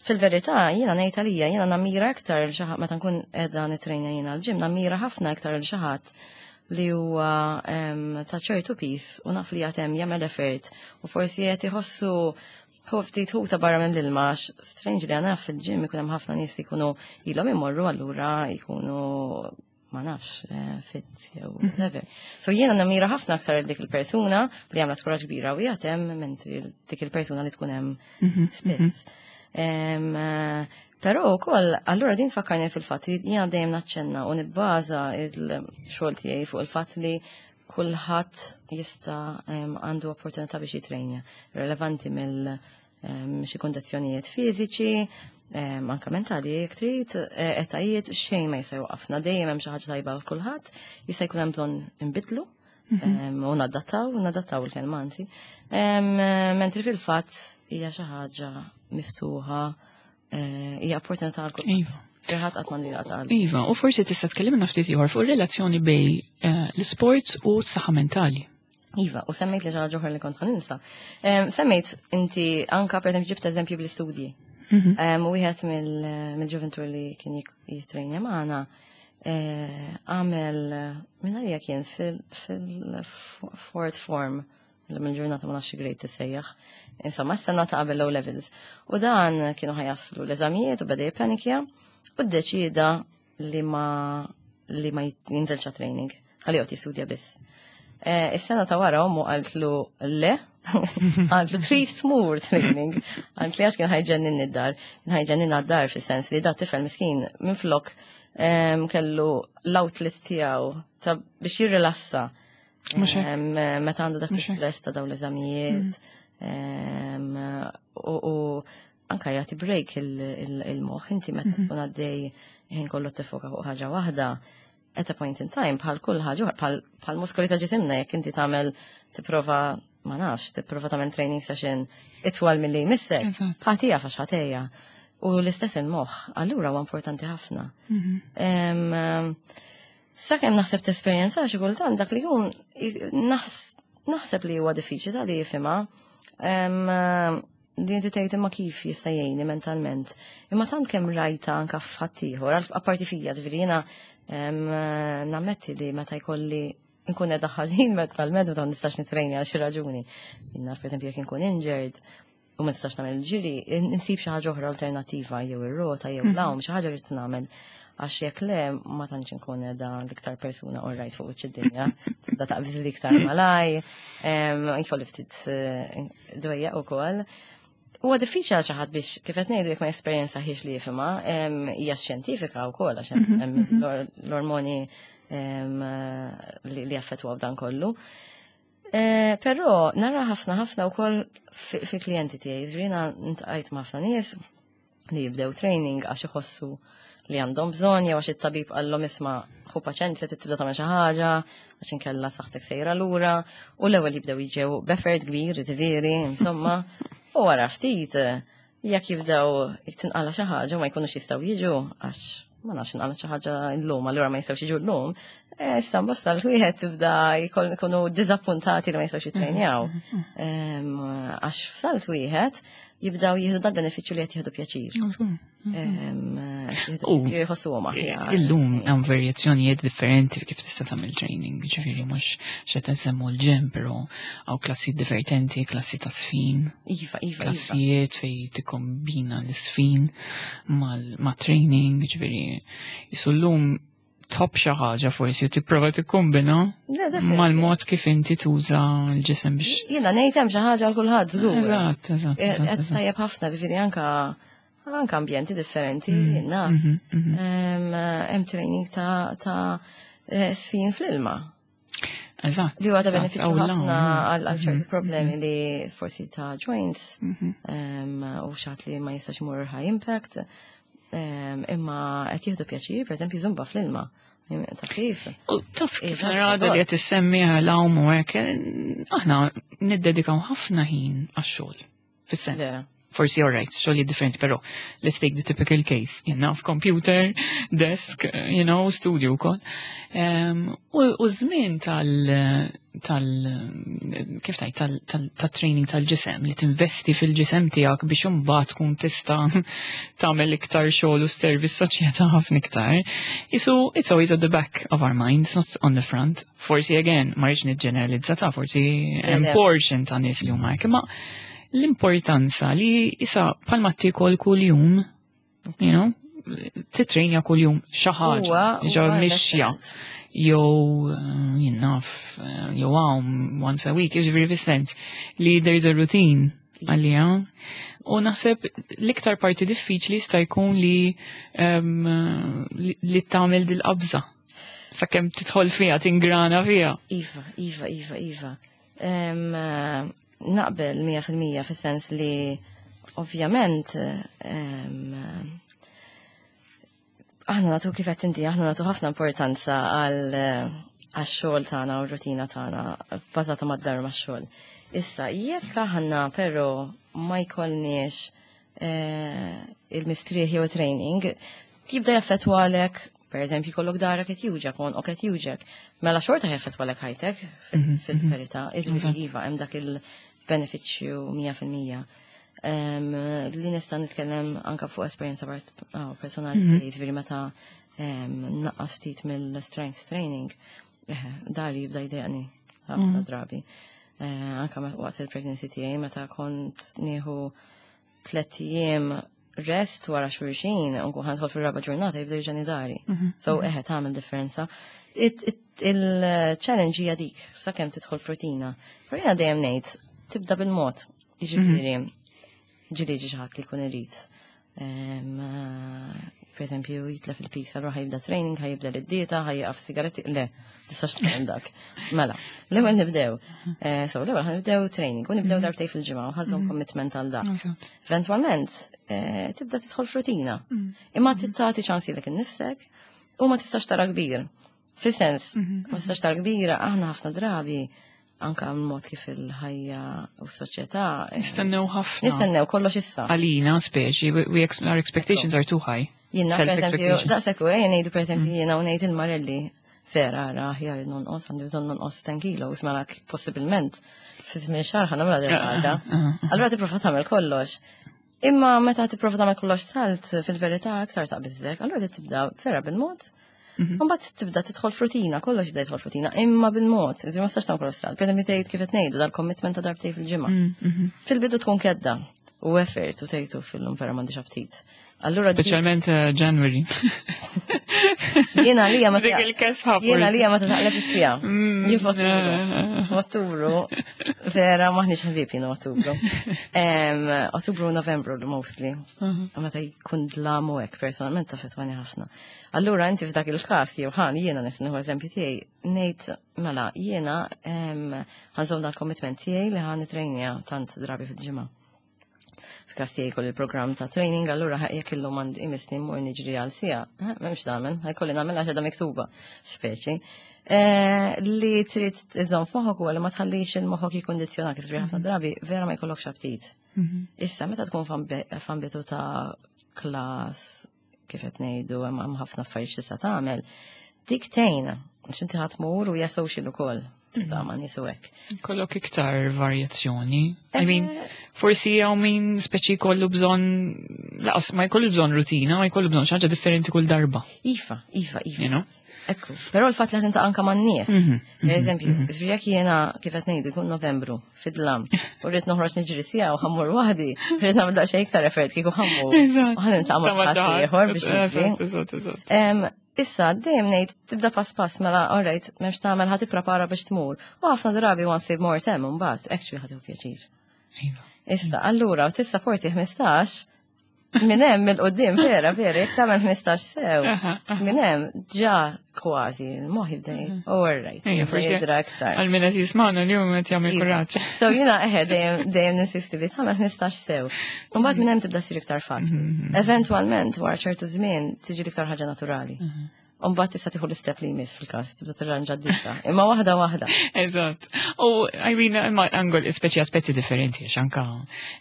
Fil-verità, jiena ngħid għalija, jiena nammira aktar lil xi ħadd meta nkun qiegħda nitrejna jiena l-gym, nammira ħafna aktar lil xi ħadd li huwa em, ta' ċertu piż u naf li għatem jagħmel effort u forsi qed iħossu hu ftit ħuta barra minn l-ilma għax strange li għana fil-gym ikun hemm ħafna nies li jkunu ilhom imorru allura jkunu ma nafx eh, fit jew whatever. So jiena nammira ħafna aktar dik il-persuna li għamlet kuraġġ kbira u jagħtem mentri dik il-persuna li tkun hemm spiss. Em, eh, Però wkoll, allura din tfakkarni fil-fatt li jiena dejjem naċċenna u nibbaża il-xogħol tiegħi fuq il-fatt li kulħadd jista' em, għandu opportunità biex jitrejnja. Relevanti mill em, xi kondizzjonijiet fiżiċi, em, anka mentali jekk trid, eh, etajiet xejn ma jista' jwaqafna. Dejjem hemm xi ħaġa tajba għal kulħadd, jista' jkun hemm bżonn inbidlu em, u nadattaw, nadattaw il-kelma anzi. Em, Mentri fil-fatt hija xi ħaġa miftuħa, eh, hija opportunità għal kulħadd. Iva. Kulħadd qatt m'għandu jaqta' Iva, u forsi tista' tkellimna ftit ieħor fuq ir-relazzjoni bej eh, l-sports u s-saħħa mentali. Iva, u semmejt li xi ħaġa oħra li kont ħa ninsa. Em, Semmejt inti anka per eżempju ġibt eżempju bl-istudji. Em, U wieħed mill- mill-ġuventur li kien jik- jitrejnja magħna eh, għamel minn għalija kien fil-fourth form mill-ġurnata ma nafx grade tissejjaħ. Insomma, s-sena ta' qabel O levels. U dan kienu ħa jaslu l-eżamijiet u beda jippanikja u ddeċida li ma li ma jinżelx training. Ħalli joqgħod jistudja biss. Eh, Is-sena ta' wara ommu qaltlu le, qaltlu trid tmur training. Qaltli għax kien ħa jġenninni d-dar, kien ħa jġenninna d-dar fis-sens li da tifel miskin minflok em, kellu l-outlet tiegħu ta' biex jirrilassa. Mhux hekk. Em, Meta għandu dak Mhux hekk. l-stress ta' dawn l-eżamijiet. em, U u anka jagħti break il- il- il-moħħ inti meta tkun għaddej ħin kollu tifoka fuq ħaġa waħda at a point in time bħal kull ħaġa oħra, bħal bħal muskoli ta' ġisimna jekk inti tagħmel tipprova ma nafx, tipprova tagħmel training session itwal milli jmissek. Eżatt. Ħatija għax ħatejja. U l-istess il-moħħ, allura huwa importanti ħafna. Em, Sakemm naħseb tesperjenza xi kultant dak li jkun naħs- naħseb li huwa diffiċli ta' li jifhimha. Em, Li inti tgħid imma kif jista' jgħinni mentalment. Imma tant kemm rajta anka f'ħaddieħor, apparti fija, ġifieri jiena em, nammetti li meta jkolli nkun qiegħda ħażin mentalment u ta' nistax nitrejni għal xi raġuni. Naf pereżempju jekk inkun injured u ma nistax nagħmel ġiri, insib xi ħaġa oħra alternattiva jew ir-rota jew l-għawm, xi ħaġa rrid nagħmel għax jekk le ma tantx inkun qiegħda l-iktar persuna alright fuq wiċċ id-dinja. Tibda taqbiż l-iktar malaj, em, jkolli ftit eh, dwejjaq ukoll. Huwa diffiċli għal xi ħadd biex kif qed ngħidu jekk ma jesperjenzahiex li jifhimha, em, hija xjentifika wkoll għax hemm hemm l-or- l-ormoni em, li li jaffettwaw dan kollu. Eh, Però nara ħafna ħafna wkoll fil-klijenti tiegħi, ġifieri jiena ltqajt ma' ħafna nies li jibdew training għax iħossu li għandhom bżonn jew għax it-tabib qallhom isma' ħu paċenzja tibda tagħmel xi ħaġa għax inkella saħħtek sejra lura u l-ewwel jibdew jiġew b'effort kbir, ġifieri, insomma, u wara ftit jekk jibdew tinqala xi ħaġa u ma jkunux jistgħu jiġu għax ma nafx inqala xi ħaġa llum allura ma jistgħux jiġu llum, eh, issa bosta l-wieħed tibda jkoll ikunu diżappuntati li ma jistgħux jitrejnjaw. Em, Għax f'salt wieħed jibdaw jieħdu dal-benefiċċju li qed jieħdu pjaċir. Em, Jieħdu U, pjaċir jħossuhom aħjar. Illum hemm varjazzjonijiet differenti kif tista' tagħmel training, ġifieri mhux x'qed nsemmu l-gym, però hawn klassi divertenti, klassi ta' sfin, Iva, iva, iva. klassijiet fej tikkombina l-sfin ma' training, ġifieri jisu llum top xi ħaġa forsi u tipprova tikkombina Le, definitely. mal-mod kif inti tuża l-ġisem biex. Jiena ngħid hemm xi ħaġa għal kulħadd żgur. Eżatt, eżatt, Eh, eżatt, Qed eżatt. tajjeb ħafna, ġifieri anka anka ambjenti differenti, jiena. Mhm, mhm. Em, Hemm training ta' ta' eh, sfin fl-ilma. Eżatt. Li huwa ta' eżatt, benefiċċju aw, ħafna la, għal għal ċerti problemi li forsi ta' joints mhm. em, u xat li ma jistax imur high impact. em, Imma qed jieħdu pjaċir, pereżempju zumba fl-ilma. Ta' kif? U taf kif Iva, narada li qed issemmi għal u hekk, aħna niddedikaw ħafna ħin għax-xogħol. Fis-sens. Vera. Forsi all right, xogħol differenti, però let's take the typical case. Jenna computer, desk, you know, studio wkoll. Um, u u żmien tal tal kif tajt tal tal tal-training tal-ġisem li tinvesti fil-ġisem tiegħek biex imbagħad tkun tista' tagħmel iktar xogħol u service soċjetà ħafna iktar. Isu it's always at the back of our minds, not on the front. Forsi again, ma rridx niġġeneralizza ta' forsi hemm Le, le. portion ta' nies li huma hekk, imma l-importanza li isa palma tiekol kuljum, you know, titrejnja kuljum xi ħaġa, Huwa- ġo huwa mixja, jew eh, jien naf, eh, jew għawm once a week, jiġifieri fis-sens li there's a routine għalija. U naħseb l-iktar parti diffiċli sta jkun li em, li, li tagħmel dil-qabża. Sakemm tidħol fiha, tingrana fiha. Iva, Iva, Iva, Iva. Em, eh, Naqbel mija fil-mija fis-sens li ovvjament em, aħna nagħtu kif qed inti, aħna nagħtu ħafna importanza għal eh, għax-xogħol tagħna u r-rutina tagħna bbażata mad-dar max-xogħol. Issa, jekk aħna però ma jkollniex eh, il-mistrieħ jew training, jibda jaffettwalek, per eżempju, jkollok darek qed juġgħek, għonqok qed juġgħek. Mela xorta jaffettwalek ħajtek fil- fil-verità. Iġifieri iva, hemm dak il-benefiċċju mija fil-mija. Em, Li nista' nitkellem anka fuq esperjenza part- ah, personali, jiġifieri meta em, naqqas ftit mill-strength training, eh, dari jibda jdejqni ħafna drabi. Eh, Anka me- waqt il-pregnancy tiegħi meta kont nieħu tliet ijiem rest wara xulxin, u nkun ħa nidħol fil-raba ġurnata jibda juġgħani dari. So eħe tagħmel differenza. It- it- Il-challenge hija dik, sakemm tidħol f'rutina. Però jiena dejjem ngħid, tibda bil-mod. Jiġifieri, ġieli ġi xi ħadd li jkun irid. Em, eh, Per eżempju, jitlef il-piż, allura ħa jibda training, ħa jibda l-dieta, ħa jieqaf sigaretti, le, tistax tagħmel dak. Mela, l-ewwel nibdew. Eh, So, l-ewwel ħa nibdew training, u nibdew darbtejn fil-ġimgħa u ħa żżomm commitment għal dak. Eżatt. Eventualment, eh, tibda tidħol f'rutina. Imma tagħti ċans lilek innifsek u ma tistax tara kbir. Fis-sens, ma tistax tara kbira, aħna ħafna drabi Anka mod kif il-ħajja u s-soċjetà. eh, Nistennew ħafna. Nistennew kollox issa. Għalina, speċi, we, we ex our expectations are too high. Jiena, per eżempju, Self-expectation. daqshekk u jien ngħidu per eżempju jiena u ngħid il-Marelli vera ara aħjar nonqos għandi bżonn nonqos ten kilos mela possibilment fi żmien xahar ħa nagħmilha din ħaġa. Allura tipprova tagħmel kollox. Imma meta tipprova tagħmel kollox salt fil-verità aktar taqbiżlek, allura trid tibda vera bil-mod. Mbagħad tibda tidħol f'rutina, kollox jibda jidħol f'rutina, imma bil-mod, iżda ma tistax tagħmel kollox salt. Per eżempju tgħid kif qed ngħidu dal-commitment ta' darbtejn fil-ġimgħa. Fil-bidu tkun kedda u effort u tgħidu fil-lum vera m'għandix aptit. Allura di- Speċjalment eh, January. Jiena għalija ma Dik il-kesħa Jiena forsi. għalija ma taqleb is-sija. Jien f'Ottubru. eh. F'Ottubru, vera maħniex ħbieb jiena Ottubru. Em, Ottubru u Novembru mostly. Meta jkun dlam u hekk personalment taffettwani ħafna. Allura inti f'dak il-każ jew ħan jiena nieħu eżempju tiegħi ngħid mela jiena em, ħa nżomm dal-commitment tiegħi li ħa nitrejnja tant drabi fil-ġimgħa. F'każ tiegħi jkolli il-programm ta' training, allura jekk illum għandi imisni mmur niġri għal siegħa, eh, m'hemmx tagħmel, ħa jkolli nagħmel għax qiegħda miktuba, speċi. Eh, Li trid iżomm f'moħħok huwa li ma tħallix il-moħħok jikkondizzjonak, jiġifieri ħafna drabi vera ma jkollokx aptit. Issa meta tkun f'ambi- f'ambitu ta' klas kif qed ngħidu hemm hemm ħafna affarijiet tista' tagħmel, dik tgħin għax inti ħa tmur u hija social ukoll. Ta' ma' nies u hekk. Kollok iktar varjazzjoni. I mean, forsi hawn min speċi kollu bżonn, laqas ma jkollu bżonn rutina, ma jkollu bżonn xi ħaġa differenti kull darba. Iva, iva, iva. You know? Ekku, però l-fatt li ħa anka man-nies. Per eżempju, jekk jiena kif qed ngħidu jkun Novembru fid-dlam u rrid noħroġ niġri siegħa u ħa mmur waħdi, rrid nagħmel daqsxejn iktar effort kieku ħa mmur. Eżatt. U ħa niltaqa' ma' ħadd ieħor biex niġri. Eżatt, eżatt, eżatt. Em, Issa, dejjem ngħid tibda pass pass mela, alright, m'hemmx tagħmel ħa tipprepara biex tmur. U ħafna drabi once more tem imbagħad, actually ħa tieħu pjaċir. Iva. Issa, allura, u tissapporti ħmistax, minn hemm il-qudiem vera, vera, jekk tagħmel ħmistax sew, minn hemm ġa kważi, il-moħħ jibda jgħid, all right, Ejja, jibda forsi jidra aktar. Għal min qed jismagħna l-jum qed jagħmel Iva. kuraġġ. So jiena eħe dejjem dejjem ninsisti li tagħmel ħmistax sew. U mbagħad minn hemm tibda ssir iktar faċli. Eventwalment wara ċertu żmien tiġi l-iktar ħaġa naturali. U mbagħad tista' tieħu l-istep li jmiss fil-każ, tibda tirranġa d-dieta. Imma waħda waħda. Eżatt. U, I mean, imma angol speċi aspetti differenti, għax anka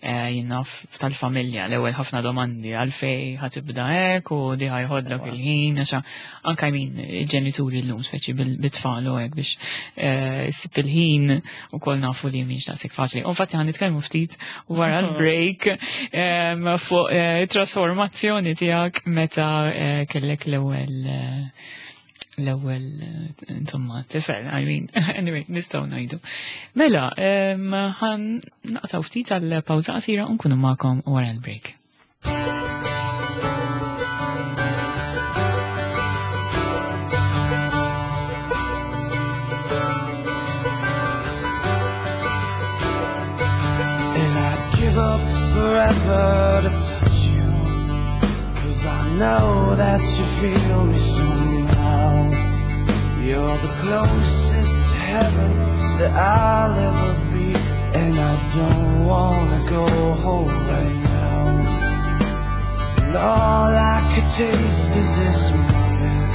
eh, jien naf tal-familja, l-ewwel ħafna domandi għalfej ħa tibda hekk u di ħa jeħodlok il-ħin, għax anka I mean, il-ġenituri l-lum speċi bil-tfal u hekk biex eh, issib il-ħin u koll nafu li mhix daqshekk faċli. U infatti ħa nitkellmu ftit wara l-break em, fuq eh, trasformazzjoni tiegħek meta eh, kellek l-ewwel eh, l-ewwel eh, insomma tifel, I mean, anyway, nistgħu ngħidu. Mela, em, ħa naqtgħu ftit għal pawża qasira u nkunu magħkom wara l-break. And I'd give up forever to touch you. Cause I know that you feel me somehow. You're the closest to heaven that I'll ever be. And I don't wanna go home right now. And all I could taste is this moment.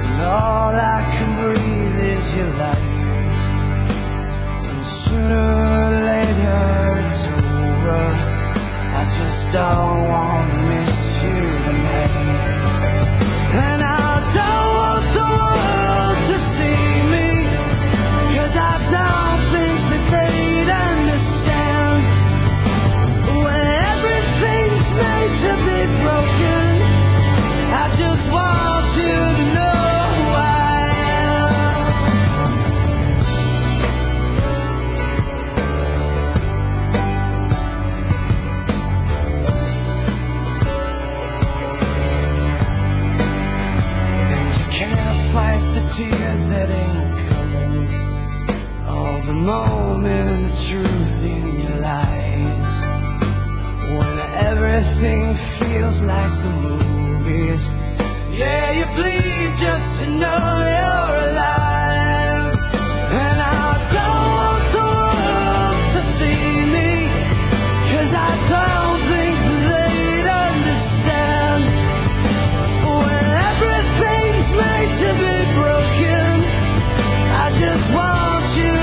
And all I can breathe is your life. And sooner or later it's over. I just don't wanna miss you tonight. And I don't want the world to see me, 'cause I don't think that they'd understand. When everything's made to be broken, I just want you to know who I am. And you can't fight the tears that ain't coming, or the moment the truth in your lies. When everything feels like the movies, yeah, you bleed just to know you're alive. And I don't want the world to see me, 'cause I don't think they'd understand. When everything's made to be broken, I just want you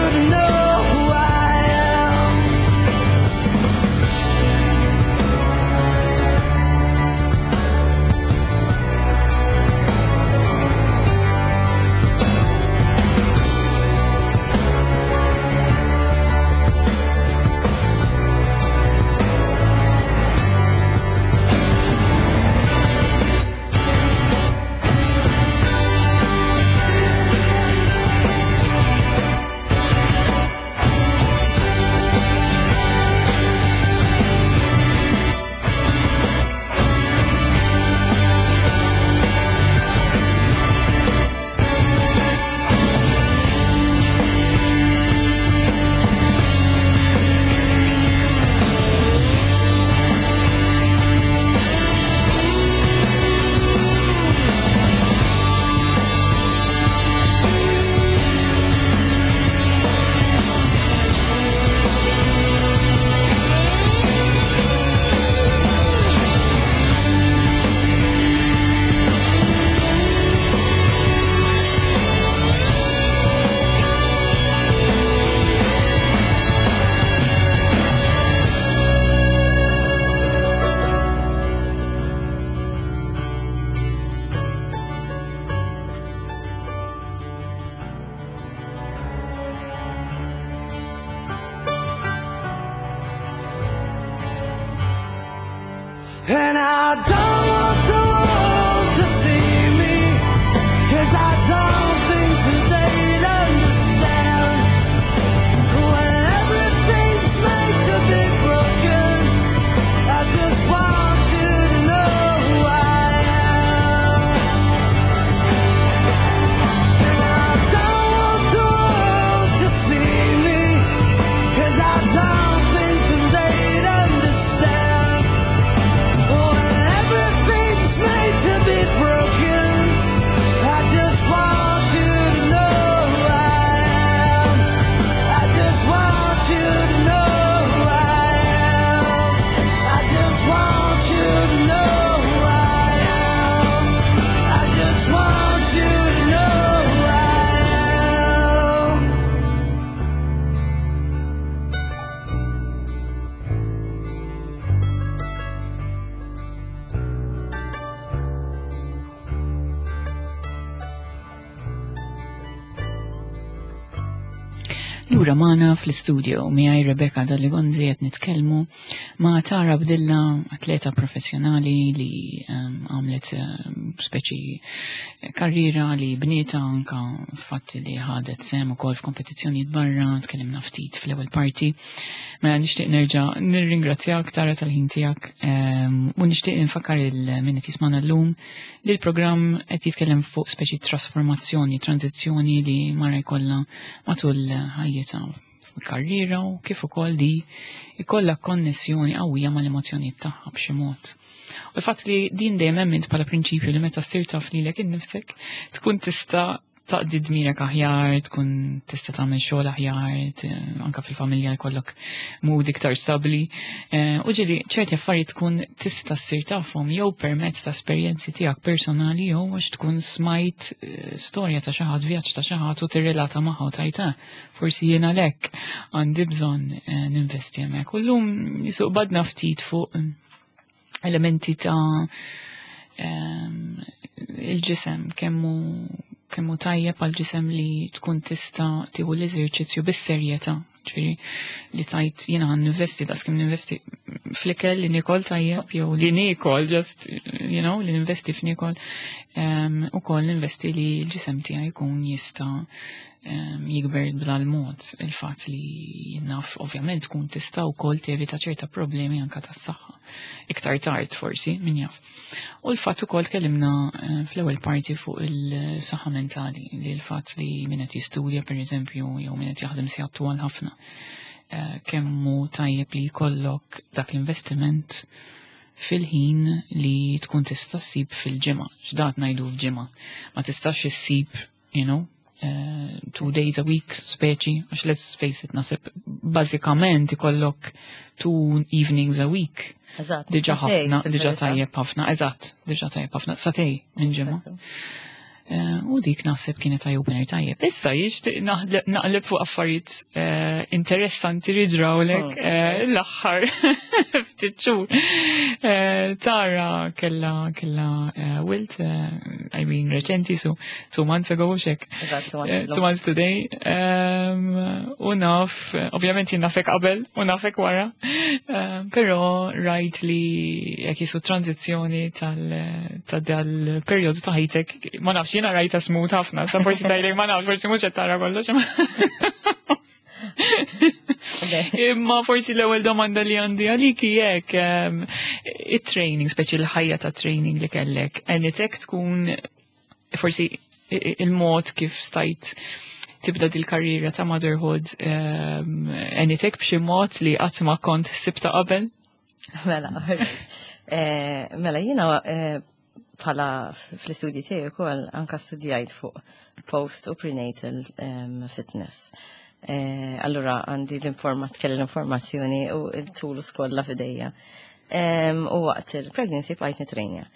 And I don't want the world to see me, 'cause I don't think that they'd understand. When everything's made to be broken, I just want you to know who I am. And I don't want the world to see me, 'cause I don't think that they'd understand. When everything's made to be broken, I just want you to know who I am. I just want you to know who I am. I just want you to know who I am. I just want you to know who I am. Lura magħna fl-istudio miegħi Rebecca Dalli Gonzi qed nitkellmu ma' Tara Bdilla, atleta professjonali li um, għamlet um, speċi karriera li bnieta anka fatt li ħadet sehem ukoll f'kompetizzjonijiet barra, tkellimna ftit fl-ewwel parti. Mela nixtieq nerġa' nirringrazzjak, Tara, tal-ħin tiegħek um, u nixtieq nfakkar lil min qed jismagħna llum li l-programm qed jitkellem fuq speċi trasformazzjoni, tranzizzjoni li mara jkollha matul ħajjitha fil-karriera u kif ukoll di ikollha konnessjoni qawwija mal-emozzjonijiet tagħha b'xi mod. U l-fatt li din dejjem emmint bħala prinċipju li meta ssir taf lilek innifsek tkun tista' taqdi dmirek aħjar, tkun tista' tagħmel xogħol aħjar, t- anka fil-familja jkollok mood iktar stabbli. Eh, U ġieli ċerti affarijiet tkun tista' ssir tafhom jew permezz ta' esperjenzi tiegħek personali jew għax tkun smajt eh, storja ta' xi ħadd, vjaġġ ta' xi ħadd u tirrelata magħha u tgħid, "Ah, forsi jien għalhekk għandi bżonn eh, ninvesti hemmhekk." U llum jisuq badna ftit fuq elementi ta' ehm, il-ġisem, kemmu kemmu tajjeb għal ġisem li tkun tista' tieħu l-eżerċizzju bis-serjetà, ġifieri li tajt jiena għan ninvesti daqs kemm ninvesti fl-ikel li nikol tajjeb jew li nikol just you know li ninvesti f'nikol, um, ukoll ninvesti li l-ġisem tiegħi jkun jista' um, jikber bl-mod. Il-fatt li naf ovvjament tkun tista' wkoll tevita ċerta problemi anka tas-saħħa iktar tard forsi, min jaf. U l-fatt ukoll tkellimna eh, fl-ewwel parti fuq il-saħħa mentali, li l-fatt li min qed jistudja pereżempju jew min qed jaħdem sigħat twal ħafna, eh, kemm hu tajjeb li jkollok dak l-investiment fil-ħin li tkun tista' ssib fil-ġimgħa. X'dat ngħidu f'ġimgħa? Ma tistax issib, you know, uh, two days a week speċi, għax let's face it, naħseb bażikament ikollok two evenings a week. Eżatt. Diġà Sagħtejn, ħafna, diġà fil-verità. tajjeb ħafna, eżatt, diġà tajjeb ħafna, sagħtejn minn ġimgħa. Eh, U dik naħseb kienet eye-opener tajjeb. Issa jixtieq naħleb naqleb fuq affarijiet eh, interessanti li ġrawlek eh, l-aħħar ftit xhur. Eh, Tara kella kella eh, wild, eh, I mean reċenti, so two months ago xek. Eżatt, two months Eh, ago. Two months today. Um, u naf, eh, ovvjament jien nafek qabel u nafek wara, um, però rajt li jekk jisu tranzizzjoni tal ta' dal-perjodu ta' ħajtek, ma nafx, jiena rajta smooth ħafna, sa forsi tgħidlek ma nafx, forsi mhux qed tara kollox. Imma forsi l-ewwel domanda li għandi għalik jekk um, it-training, speċi l-ħajja ta' training li kellek, għenitek tkun forsi i- i- il-mod kif stajt tibda dil-karriera ta' motherhood, um, għenitek b'xi mod li qatt ma kont sibta qabel? Mela, eh, mela jiena eh, bħala fl-istudji tiegħi wkoll anka studjajt fuq post u prenatal em, fitness. Eh, allura għandi l-informat kelli l-informazzjoni u il-tools kollha f'idejja. Em, U waqt il-pregnancy bqajt nitrejnja.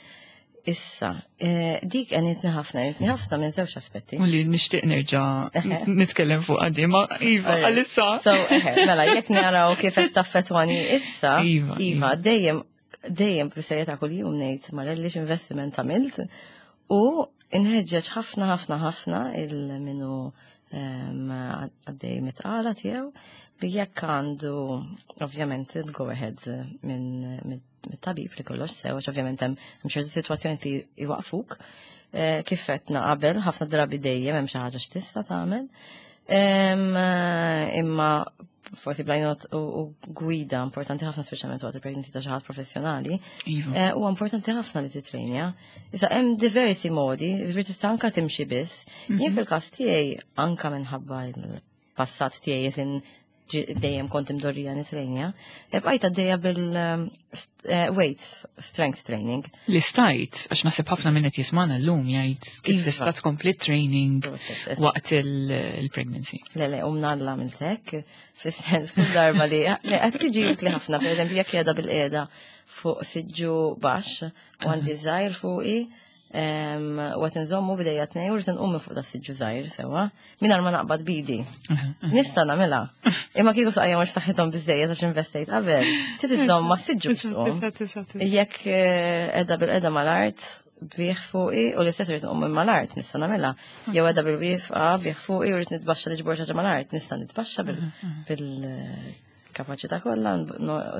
Issa, eh, dik għenitni ħafna, għenitni ħafna minn żewġ aspetti. U li nixtieq nerġa' nitkellem fuq għaddi, ma iva, Alright. għalissa. So, eħe, mela, jekk naraw kif qed taffettwani issa, Iva, iva, iva. dejjem dejjem fis-serjetà kuljum ngħid marellix investiment għamilt u inħeġġeġ ħafna ħafna ħafna il minu em, għaddej mit-tqala tiegħu li jekk għandu ovvjament il-go ahead minn mit-tabib li kollox sew, għax ovvjament hemm hemm ċertu sitwazzjoni li jwaqfuk. Eh, Kif għedna qabel, ħafna drabi dejjem hemm xi ħaġa x'tista' tagħmel. Em, eh, Imma forsi bl-għajnuna u u gwida importanti ħafna, speċjalment waqt il-pregnancy, ta' xi ħadd professjonali. Iva. Eh, Huwa importanti ħafna li titrejnja. Issa hemm diversi modi, ġifieri tista' anka timxi biss. Jien fil-każ tiegħi, anka minħabba il-passat tiegħi, jisin dejjem kont imdorrija nitrejnja, e bqajt għaddejja bil-weights, strength training. Li stajt, għax naħseb ħafna minn qed jismana llum jgħid kif Iva. tista' tkompli training Proset, waqt il- il-pregnancy. Le, le, u mnalla għamiltek, fis-sens kull darba li le, qed tiġi utli ħafna, per eżempju, jekk qiegħda bil-qiegħda fuq siġġu baxx u għandi żgħir fuqi, em, u qed inżommu b'idejja tnejn u rrid inqum minn fuq da siġġu żgħir sewwa, mingħajr ma naqbad bidi. Nista' nagħmilha. Imma kieku saqajja mhux saħħithom biżejjed għax investejt qabel, trid iżżomm ma' siġġu biex tqum. Jekk eh, qiegħda bil-qiegħda mal-art, bih fuqi u l-istess rrid nqum minn mal-art, nista' nagħmilha. Jew qiegħda bil-wieqfa bih fuqi u rrid nitbaxxa niġbor xi ħaġa mal-art, nista' nitbaxxa bil-kapaċità kollha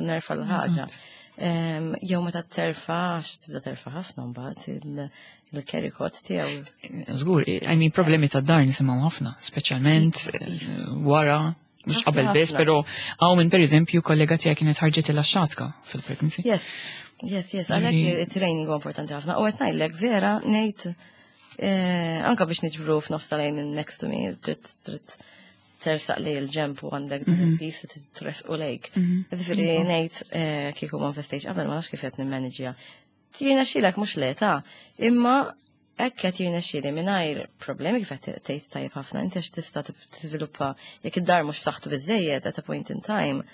nerfa' l-ħaġa. Em, Jew meta terfa', għax tibda terfa' ħafna mbagħad il-carrycot tiegħu. Żgur, I mean, problemi ta' dar nisimgħu ħafna, speċjalment eh, wara, mhux Ħafna, qabel biss, ħafna. però hawn minn, pereżempju, kollega tiegħek kienet ħarġet il-xatka fil-pregnancy. Yes, yes, yes, għalhekk it-training huwa importanti ħafna. U qed ngħidlek vera ngħid eh, anka biex niġbru f'nofs tal-għajn minn next to me, trid trid tersaq li l-ġemp u għandek pis tresqu lejk. Ġifieri ngħid eh, kieku ma investejx qabel, ma nafx kif qed nimmanġja. Jirnexxilek, mhux le ta', imma hekk qed jirnexxieli mingħajr problemi, kif qed tgħid tajjeb ħafna inti, għax tista' tiżviluppa jekk id-dar mhux b'saħħtu biżejjed at a point in time,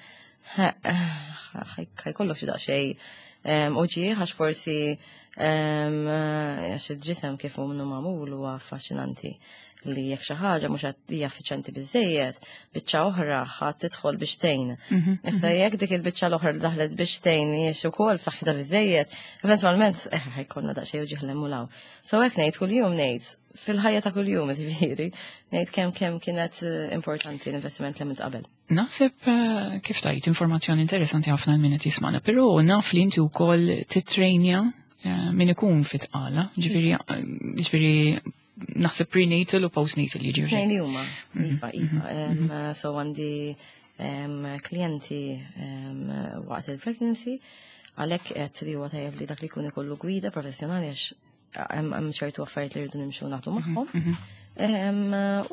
ħa jkollok xi daqsxejn uġigħ, għax forsi għax il-ġisem kif hu minnu magħmul huwa affaxxinanti li jekk xi ħaġa mhux qed hija effiċjenti biżejjed, biċċa oħra ħadd tidħol biex tgħin. Issa jekk dik il-biċċa l-oħra li daħlet biex tgħin mhijiex ukoll b'saħħitha biżejjed, eventwalment eh, ħa jkollna daqsxejn uġigħ 'l hemm. So hekk ngħid kuljum, ngħid fil-ħajja ta' kuljum, ġifieri, ngħid kemm kemm kienet eh, importanti l-investiment li għamilt qabel. Naħseb eh, kif tajt informazzjoni interessanti ħafna minn qed jismana, però naf li inti wkoll titrejnja eh, min ikun fit-tqala, ġifieri ġifieri naħseb prenatal u postnatal jiġifieri. Tnejn li huma, iva, iva. Em, So għandi em, klijenti em, waqt il-pregnancy, għalhekk qed li huwa tajjeb li dak li jkun ikollu gwida professjonali, għax hemm hemm ċertu affarijiet li rridu nimxu naħdu magħhom. Em,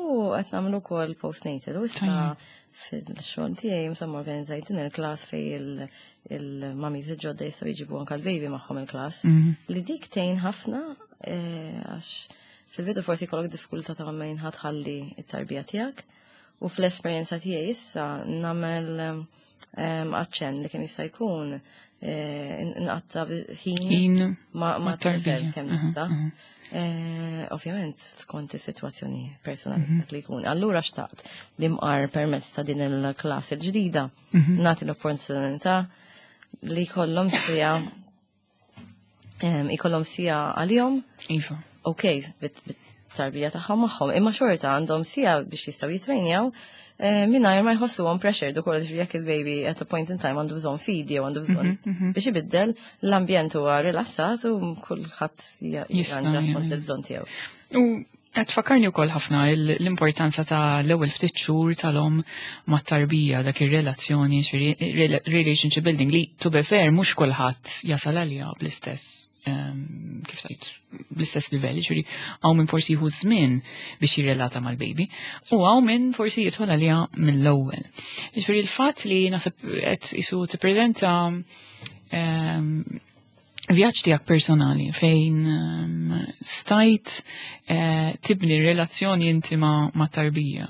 U qed nagħmlu wkoll postnatal u issa fil-xogħol tiegħi insomma organizzajt din il-class fej il-mummies il-ġodda jistgħu jġibu anke l-baby magħhom il-class. Li dik tgħin ħafna eh, għax fil-bidu forsi jkollok diffikultà ta' fejn ħa tħalli it-tarbija tiegħek. U fl-esperjenza tiegħi issa nagħmel em, aċċenn li kemm jista' jkun eh, nqatta' ħin Ħin ma' ma' ma' tarbija. tifel kemm Aha, nista'. Eh, Ovvjament skont is-sitwazzjoni personali dak li jkun. Allura xtaqt li mqar permezz ta' din il-class il-ġdida nagħti l-opportunità li jkollhom sija em, ikollhom sija għalihom, Iva. Ok, bit-tarbija tagħhom magħhom, imma xorta għandhom sija biex jistgħu jitrejnjaw eh, mingħajr ma jħossuhom pressured ukoll, ġifieri jekk il-baby at a point in time għandu bżonn feed jew għandu bżonn biex ibiddel, l-ambjent huwa rilassat u kulħadd Jista' jirranġa skont jagħmel. il-bżonn tiegħu. U qed tfakkarni wkoll ħafna l- l-importanza ta' l-ewwel ftit xhur tal-om mat-tarbija, dak ir-relazzjoni, ġifieri rela- relationship building li, to be fair, mhux kulħadd jasal għalija bl-istess em, kif tajt, bl-istess livell, ġifieri hawn min forsi jieħu żmien biex jirrelata mal-baby u hawn min forsi jidħol għalija mill-ewwel. Ġifieri l-fatt li naħseb qed isu tippreżenta em, vjaġġ tiegħek personali fejn um, stajt eh, tibni relazzjoni intima ma' tarbija.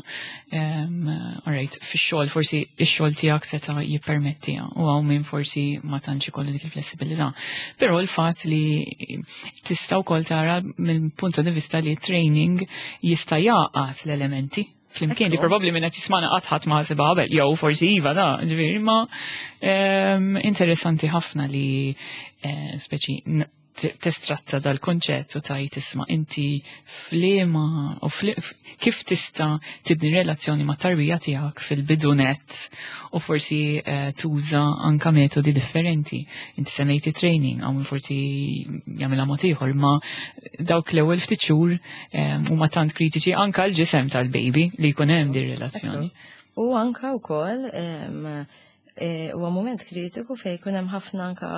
Um, alright, fix-xogħol forsi ix-xogħol tiegħek seta' jippermettiha u hawn min forsi ma tantx ikollu dik il-flessibilità. Però l-fatt li tista' wkoll tara mill-punt di vista li training jista' jaqgħat l-elementi flimkien li Ekku. probabbli minn qed jismana qatt ħadd ma ħasibha qabel, jew forsi iva da, ġifieri, ma em, interessanti ħafna li eh, speċi n- Testratta dal-konċett u tajt isma' inti f'liema u kif tista' tibni relazzjoni ma' tarbija tiegħek fil-bidunet u forsi eh, tuża anka metodi differenti. Inti semmejti training, għaw forsi jagħmilha mod ieħor, ma dawk l-ewwel ftit xhur eh, huma tant kritiċi anka l-ġisem tal-baby li jkun hemm din relazzjoni. U anka wkoll eh, huwa moment kritiku fejn jkun hemm ħafna anka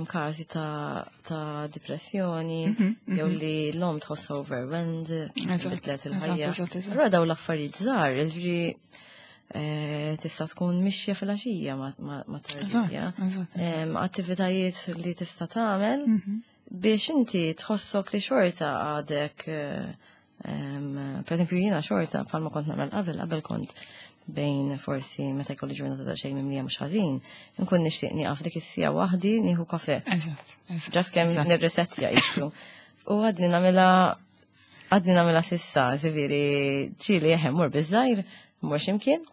każi ta', ta depressjoni, mm -hmm, jew li l-om tħoss overwhelmed, bidlet il-ħajja. Allura daw l-affarijiet żgħar, ġifieri eh, tista' tkun mixja fil-għaxija ma' tarbija. Attivitajiet li tista' tagħmel mhm. biex inti tħossok li xorta għadek eh, per eżempju jiena xorta bħalma kont nagħmel qabel, qabel kont bejn forsi meta jkolli ġurnata ta' xejn mimlija mhux ħażin, nkun nixtieq nieqaf dik is-siegħa waħdi nieħu kafè. Eżatt, eżatt. Just kemm nirresetja jisu. U għadni nagħmilha għadni nagħmilha s'issa, ġifieri ġieli eħe mur biż-żgħir, mur x'imkien.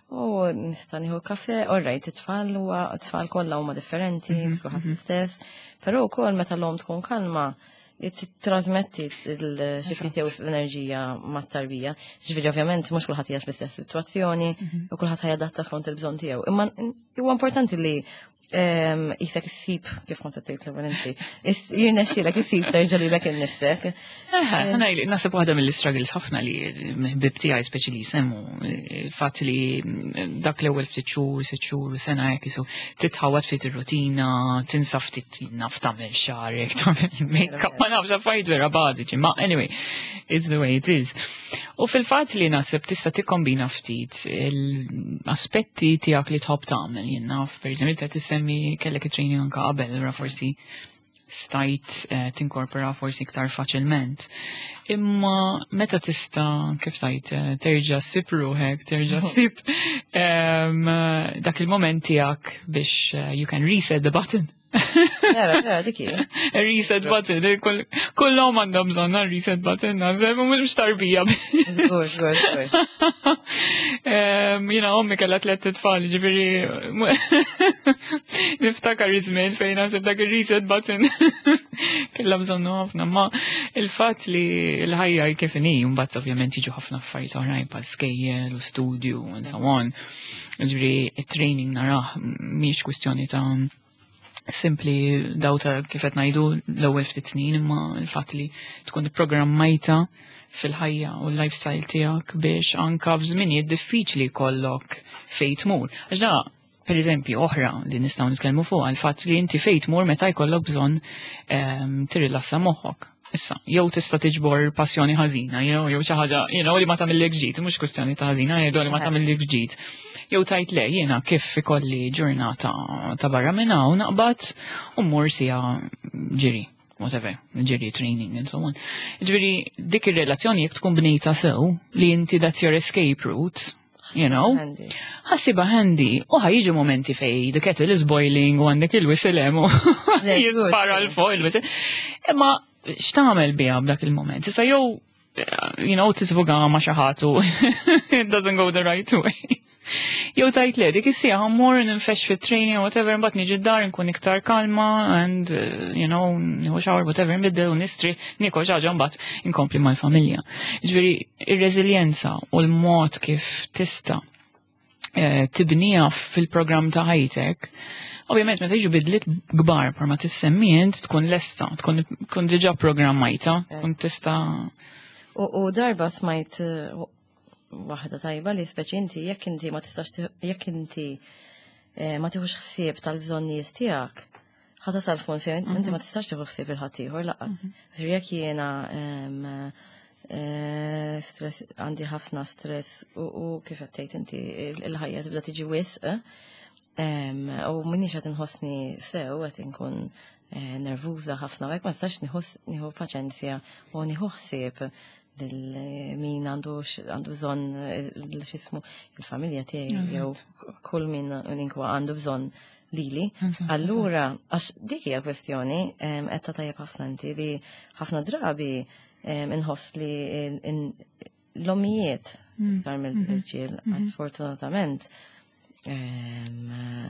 U nista' nieħu kafè, all right, it-tfal huwa it-tfal kollha huma differenti, mhm, kulħadd mhm. l-istess, però wkoll meta l-om tkun kalma, trasmetti l-xiftit jew l-enerġija mat-tarbija. Ġifieri ovvjament mhux kulħadd jgħix l-istess sitwazzjoni mhm. u kulħadd ħajadatta skont il-bżonn tiegħu. Imma huwa importanti li jisek issib kif kont tgħid l-ewwel inti. Jirnexxielek issib terġa' lilek innifsek. Naħseb waħda mill-struggles ħafna li ħbieb tiegħi speċi li jsemmu il-fatt li dak l-ewwel ftit xhur, sitt xhur, sena hekk isu titħawad ftit ir-rutina, tinsa ftit naf tagħmel xagħrek, tagħmel make-up, ma nafx affarijiet vera bażiċi, ma anyway, it's the way it is. U fil-fatt li naħseb tista' tikkombina ftit l-aspetti tiegħek li tħobb tagħmel, jien naf, pereżempju, ta' tissemmi kellek it-training anka qabel, allura forsi stajt eh, tinkorpora forsi iktar faċilment. Imma meta tista' kif tajt eh, terġa' ssib ruħek, terġa' ssib em, dak il-moment tiegħek biex eh, you can reset the button. Vera, vera, dik hi. Reset button, eh, kull kullhom għandhom bżonn reset button, naħseb mhux tarbija. Żgur, żgur, żgur. Em, Jiena ommi kellha tliet tfal, ġifieri niftakar iż-żmien fejn naħseb dak ir-reset button kellha bżonnu ħafna, ma il-fatt li l-ħajja kif inhi, mbagħad ovvjament jiġu ħafna affarijiet oħrajn bħal skejjel u studio and so on. Ġifieri it-training narah mhix kwistjoni ta' simpli daw ta' kif qed ngħidu l-ewwel ftit snin imma l-fatt li tkun ipprogrammajta fil-ħajja u l-lifestyle tiegħek biex anka f'żminijiet diffiċli jkollok fejn tmur. Għax da, per eżempju, oħra li nistgħu nitkellmu fuq għal-fatt li inti fejn tmur meta jkollok bżonn ehm, tirrilassa moħħok. Issa, jew tista' tiġbor passjoni ħażina, jew jew xi ħaġa, you know, li ma tagħmillek ġid, mhux kwistjoni ta' ħażina, jew li ma tagħmillek ġid. Jew tajt le, jiena kif ikolli ġurnata ta' barra minn hawn naqbad u mmur siegħa ġiri whatever, ġiri training and so on. Ġifieri dik ir-relazzjoni jekk tkun bnejta sew li inti that's your escape route, you know, Handy. ħa ssibha handy u ħa jiġu momenti fej the kettle is boiling u għandek il-whistle hemm u Le, jispara good. 'l fuq il-whistle. Imma x'tagħmel biha b'dak il-moment? Issa jew you know, tisvuga ma' xi ħadd u it doesn't go the right way. Jew tajt le, dik is-siegħa mmur ninfex fit-training or whatever, mbagħad niġi d-dar nkun iktar kalma and uh, you know, nieħu shower whatever, nbiddel u nistri, niekol xi ħaġa mbagħad inkompli mal-familja. Ġifieri ir-reżiljenza u l-mod kif tista' eh, tibnija fil-programm ta' ħajtek, ovvjament meta jiġu bidliet kbar par ma tissemmi int tkun lesta, tkun tkun diġà programmajta, tkun tista' U, u darba smajt eh, waħda tajba li speċi inti jekk inti ma tistax tieħu- jekk inti eh, ma tieħux ħsieb tal-bżonnijiet tiegħek, ħa tasal punt fejn inti ma tistax tieħu ħsieb il-ħaddieħor lanqas. Ġifieri jekk jiena em, eh, stress għandi ħafna stress u, u kif qed tgħid inti il- il-ħajja tibda tiġi wisq em, u minix qed inħossni sew qed inkun eh, nervuża ħafna u hekk ma nistax nieħu nieħu paċenzja u nieħu ħsieb lil min għandu x- għandu bżonn eh, x'ismu il-familja tiegħi jew kull min inkwa għandu bżonn lili. Eżatt, Allura, għax dik hija kwestjoni em, qed ta' tajjeb ħafna inti li ħafna drabi em, inħoss li in- in- l-ommijiet iktar mill-irġiel, sfortunatament, em,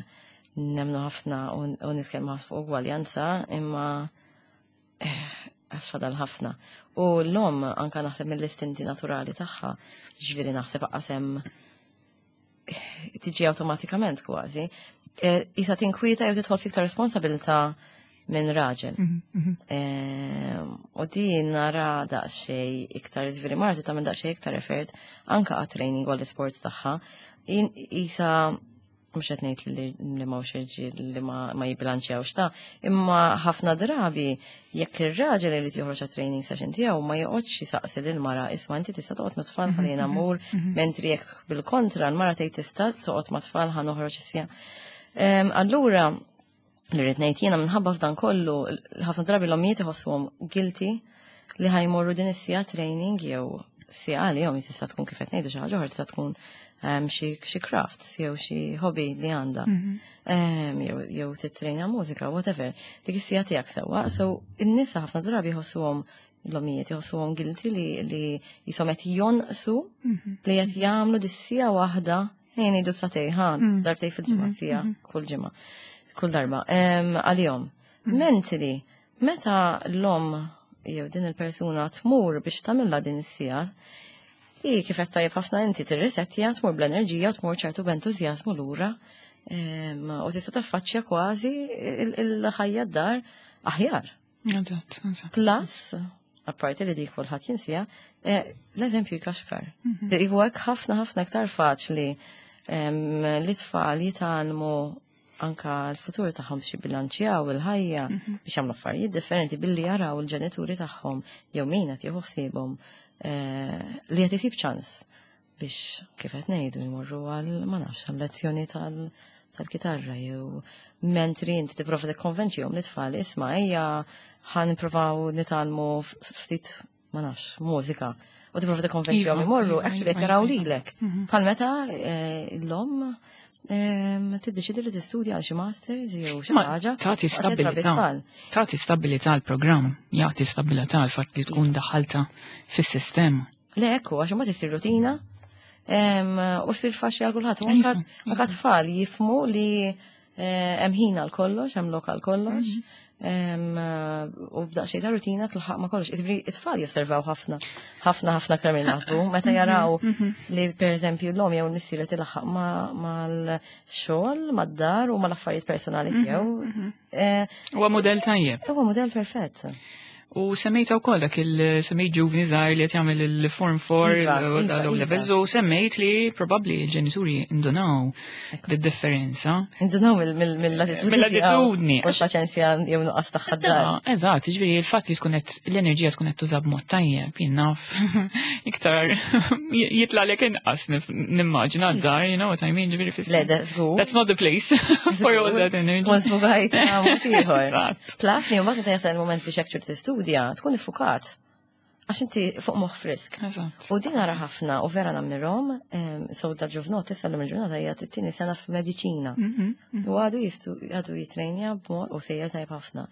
Nemmnu ħafna u nitkellmu ħafna fuq ugwaljanza, imma għad fadal ħafna. U l-omm anka naħseb mill-istinti naturali tagħha, ġifieri naħseb qasem tiġi awtomatikament kważi. Isa tinkwieta jew tidħol fiktar responsabilità minn raġel. U din nara daqsxejn iktar, ġifieri marti tagħmel daqsxejn iktar effort anka għat-training u għall-sports tagħha. Isa mhux qed ngħid li li m'hawnx irġiel li ma jibbilanċjawx ta', imma ħafna drabi jekk ir-raġel irid joħroġ training session tiegħu ma joqgħodx jisaqsi lil mara, "Isma', inti tista' toqgħod ma' tfal ħalli jiena mmur?" Mentri jekk bil-kontra l-mara tgħid, "Tista' toqgħod ma' tfal, ħa noħroġ is-siegħa." Allura li rrid ngħid jiena, minħabba f'dan kollu, ħafna drabi l-ommijiet iħossuhom guilty li ħa jmorru din is-siegħa training jew siegħa li jom tista' tkun, kif qed ngħidu, xi ħaġa oħra, tista' tkun xi crafts jew xi hobby li għandha. Jew titrejna mużika, whatever. Dik is-siegħa tiegħek sewwa. So in-nisa ħafna drabi jħossuhom, l-omijiet jħossuhom guilty li li jisom qed jonqsu li qed jagħmlu dis-siegħa waħda, ejn ngħidu sagħtejn ħa, darbtejn fil-ġimgħa, siegħa kull ġimgħa. Kull darba. Għalihom. Mentri, meta l-om jew din il-persuna tmur biex tagħmilha din is-siegħa, i kif qed tajjeb ħafna inti tirrisettja, tmur bl-enerġija, tmur ċertu b'entużjażmu lura u tista' taffaċċja kważi il-ħajja d-dar aħjar. Eżatt, eżatt. Plus, apparti li dik kulħadd jinsija, eh, l-eżempju jkaxkar. Huwa hekk ħafna ħafna iktar faċli li tfal jitgħallmu anka l-futur tagħhom biex jibbilanċjaw il-ħajja, biex jagħmlu affarijiet differenti billi jaraw il-ġenituri tagħhom jew min qed jieħu ħsiebhom eh, li qed isib ċans biex, kif qed ngħidu, jmorru għal, ma nafx, għal lezzjoni tal tal-kitarra jew mentri inti tipprova tikkonvenċihom li tfal, "Isma', ejja ħa nippruvaw nitgħallmu ftit, ma nafx, mużika," u tipprova tikkonvenċihom Iva, imorru, iva, actually qed iva, jaraw iva. lilek. Bħal meta eh, l-omm tiddeċidi li tistudja għal xi masters jew xi Ma ħaġa. tagħti u qed trabbi stabilità. tfal. Tagħti stabilità l-programm, jagħti stabilità l-fatt li tkun daħalta fis-sistema. Le, ekku, għax ma tisir rutina em, u ssir faċli għal kulħadd. U anka Iva, anka tfal jifhmu li eh, hemm ħin għal kollox, hemm lok għal kollox. em, U b'daqsxejn ta' rutina tilħaq ma' kollox. Jiġifieri it-tfal josservaw ħafna, ħafna ħafna aktar minn naħsbu. Meta jaraw li pereżempju l-omm jew l-missier tilħaq ma' mal-xogħol, mad-dar u mal-affarijiet personali tiegħu. eh, Huwa modell tajjeb. Huwa modell perfett. U semmejta wkoll dak il-semmejt ġuvni żgħir li qed jagħmel il-Form four Iva, iva, l-O iva. levels u semmejt li probabbli l-ġenituri indunaw bid-differenza. Indunaw mill-attitudni. Mill-attitudni. U l-paċenzja jew nuqqas tagħha d-dar. Ah, eżatt, ġifieri il-fatt li tkun qed l-enerġija tkun qed tuża b'mod tajjeb, jien naf iktar jitlagħlek inqas nif- nimmaġina d-dar, you know what I mean, ġifieri fis Le, da, żgur. That's not the place for all that energy. Tkun sfugajt mod ieħor. Eżatt. Plus li mbagħad meta jasal il-moment biex actually tistudja, tkun iffukat. Għax inti fuq moħħ frisk. Eżatt. U din nara ħafna u vera nammirhom, so da ġuvnot issa l il-ġurnata hija t-tieni sena f'mediċina. U għadu jistu għadu jitrejnja b'mod u sejjer tajb ħafna.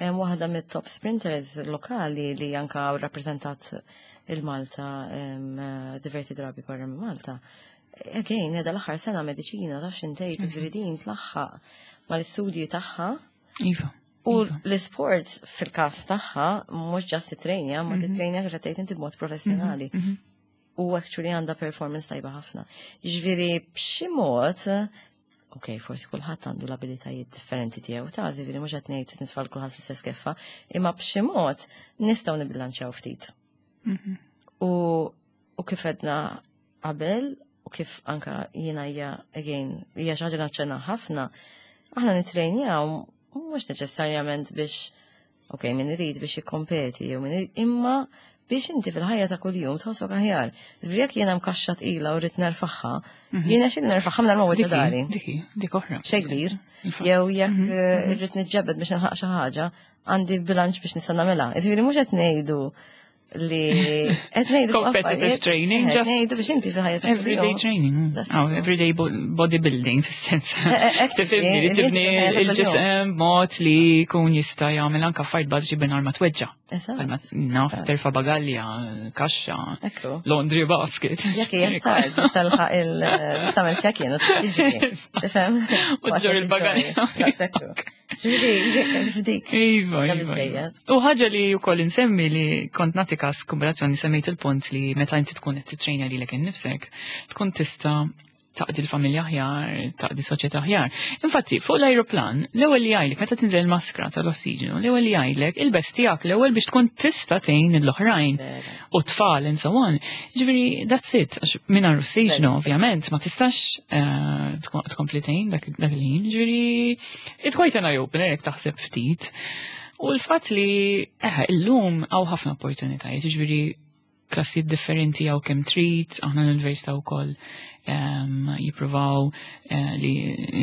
Em, Waħda mit-top sprinters lokali li anka rappresentat il-Malta em, diversi drabi barra minn Malta. Again, edha l-aħħar sena mediċina, taf x'intejt, ġifieri din tlaħħaq mal-istudji tagħha. Iva. U l-sports fil-kas tagħha mhux just titrejnja, ma titrejnja, kif qed tgħid inti, b'mod professjonali. U actually għandha performance tajba ħafna. Ġifieri b'xi mod, ok, forsi kulħadd għandu l-abilitajiet differenti tiegħu ta', ġifieri mhux qed ngħid nitfal kulħadd fl-istess keffa, imma b'xi mod nistgħu nibilanċjaw ftit. U u kif għedna qabel, u kif anka jiena hija again hija xi ħaġa naċċenna ħafna, aħna nitrejnjaw mhux neċessarjament biex, ok, min irid biex jikkompeti jew min irid, imma biex inti fil-ħajja ta' kuljum tħossok aħjar. Ġifieri jekk jiena mkaxxa tqila u rrid nerfagħha, jiena xi nerfagħha minn ma Diki, dari. diki, dik oħra. Xejn kbir. Infatti. Jew jekk eh, irrid niġġebed biex nilħaq xi ħaġa, għandi bilanċ biex nista' nagħmilha. Ġifieri mhux qed ngħidu Li qed ngħidu Competitive training, just ngħidu biex inti fil-ħajja ta' Everyday training. That's Oh, everyday bo- bodybuilding, fis-sens. Eh, eh, Tifhimni li tibni il-ġisem mod li jkun jista' jagħmel anke affarijiet bażiċi mingħajr ma tweġġa'. Bħalma naf terfa' bagalja, kaxxa, Ekku. Laundry basket. Jekk hija tard biex talħaq il biex tagħmel check-in u tiġri. Tifhem? U ġġorr il-bagalja. Ġifieri f'dik. Iva, Kemm iva. iżejjed. U ħaġa li wkoll insemmi li kont nagħti kas kombinazzjoni, semmejt il-punt li meta inti tkun qed titrejna lilek innifsek, tkun tista' taqdi l-familja aħjar, taqdi soċjetà aħjar. Infatti, fuq l-ajruplan, l-ewwel li jgħidlek meta tinżel maskra tal-ossiġenu, l-ewwel li jgħidlek il-best tiegħek l-ewwel biex tkun tista' tgħin l-oħrajn u tfal and so on. Ġifieri, that's it. Għax mingħajr ossiġenu, ovvjament, ma tistax eh, tkun- tkompli tgħin dak dak il-ħin. Ġifieri, it's quite an eye-opener jekk taħseb ftit. U l-fatt li, eħe, illum hawn ħafna opportunitajiet, ġifieri, klassijiet differenti hawn kemm trid, aħna l-università wkoll um, jippruvaw uh, li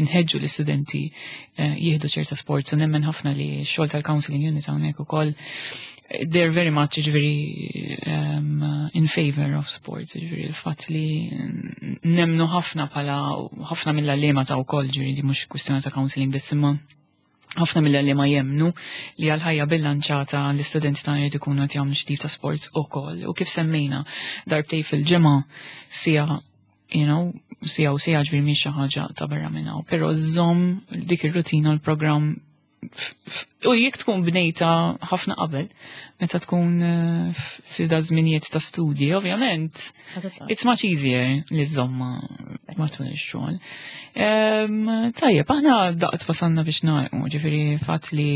nħeġġu l-istudenti uh, jieħdu ċerta sports, u nemmen ħafna li x-xogħol tal-counseling unit hawnhekk ukoll, they're very much, ġifieri, um, in favor of sports, ġifieri il-fatt li nemnu ħafna bħala ħafna mill-għalliema ta' wkoll, ġifieri di mhux kwistjoni ta' counseling biss, imma ħafna mill-għalliema jemmnu li għal-ħajja bilanċata l-istudenti tagħna jrid ikunu qed jagħmlu xi tip ta' sports ukoll. U kif semmejna, darbtejn fil-ġimgħa, sija, you know, sija u sija, ġifieri mhix xi ħaġa ta' barra minn hawn. Però żomm dik ir-rutina, l-programm f- f- u jekk tkun bnejta ħafna qabel, meta tkun eh, fi da żminijiet ta' studji, ovvjament, it's much easier li żżommha matul ix-xogħol. Em, Tajjeb, aħna daqt wasalna biex nagħlqu, ġifieri fatt li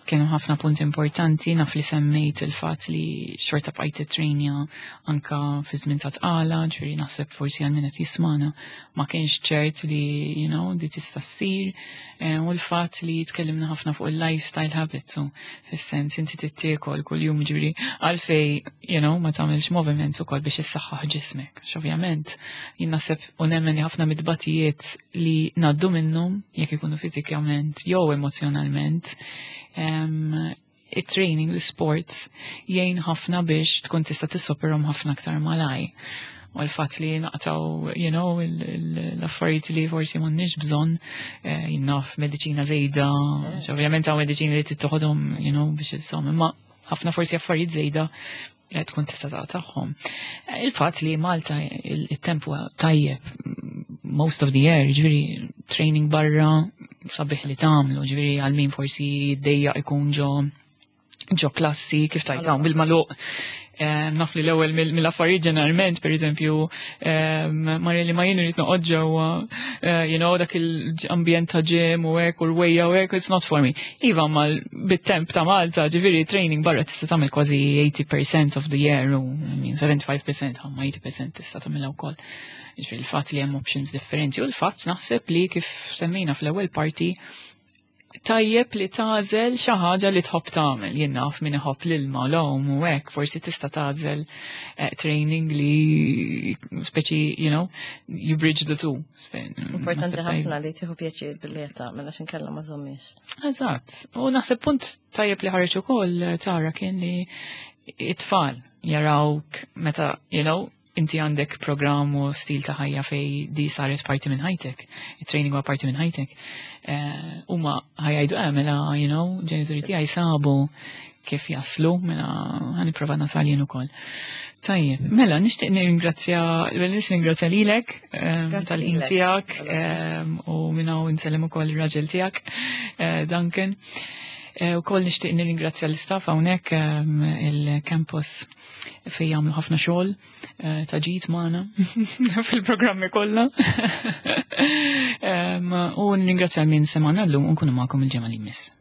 kienu ħafna punti importanti, naf li semmejt il-fatt li xorta bqajt titrejnja anka fi żmien ta' tqala, ġifieri naħseb forsi għal min qed jismana ma kienx ċert li, you know, di tista' ssir, eh, u l-fatt li tkellimna ħafna fuq il-lifestyle habits, u fis-sens inti tittiekol kuljum, ġifieri għalfej, you know, ma tagħmilx moviment ukoll biex issaħħaħ ġismek. Ovvjament, jien naħseb u nemmen li ħafna mid-batijiet li ngħaddu minnhom, jekk ikunu fiżikament jew emozjonalment, um, it-training, l-sports, jgħin ħafna biex tkun tista' tissoperhom ħafna aktar malaj. U l-fatt li naqtgħu, you know, l-affarijiet li forsi m'għandniex bżonn, eh, jien naf mediċina żejda, ovvjament hawn mediċina li tittoħodhom, you know, biex iżżomm, imma ħafna forsi affarijiet żejda eh, tkun tista' taqtagħhom. Eh, Il-fatt li Malta il-temp huwa tajjeb most of the year, ġifieri training barra sabiħ li tagħmlu, ġifieri għal min forsi dejja ikun ġo ġo klassi kif tajtaw bil-magħluq. Naf li l-ewwel mill-affarijiet ġeneralment, per eżempju, Marja li ma jien irid noqgħod ġewwa, eh, you know, dak il-ambjent ta' gym u hekk u rwejja u hekk, it's not for me. Iva, ma bit-temp ta' Malta, ġifieri training barra tista' tagħmel kważi eighty percent of the year u, I mean, seventy-five percent, ma eighty percent tista' tagħmilha wkoll. Ġifieri il-fatt li hemm options differenti u l-fatt naħseb li kif semmejna fl-ewwel parti, tajjeb li tagħżel xi ħaġa li tħobb tagħmel. Jien naf min iħobb l-ilma, l-għawm u hekk, forsi tista' tagħżel eh, training li speċi, you know, you bridge the two. Importanti ħafna li tieħu pjaċir billi qed tagħmel, għax inkella ma żommix. Eżatt. U naħseb punt tajjeb li ħareġ ukoll tara kien li it-tfal jarawk meta, you know, inti għandek program u stil ta' ħajja fej di saret parti minn ħajtek, il-training huwa parti minn ħajtek. Eh, huma ħa jgħidu, eh, mela, you know, ġenituri tiegħi sabu kif jaslu, mela ħa nipprova nasal jien ukoll. Tajjeb, mela nixtieq nirringrazzja, nixtieq nirringrazzja lilek eh, tal-ħin tiegħek eh, u minn hawn insellem ukoll ir-raġel tiegħek, Duncan. U koll nixtieq nirringrazzja l-istaff hawnhekk il-campus fejn jagħmlu ħafna xogħol ta' ġid magħna fil-programmi kollha. U nirringrazzja min semagħna llum u nkunu magħkom il-ġimgħa li jmiss.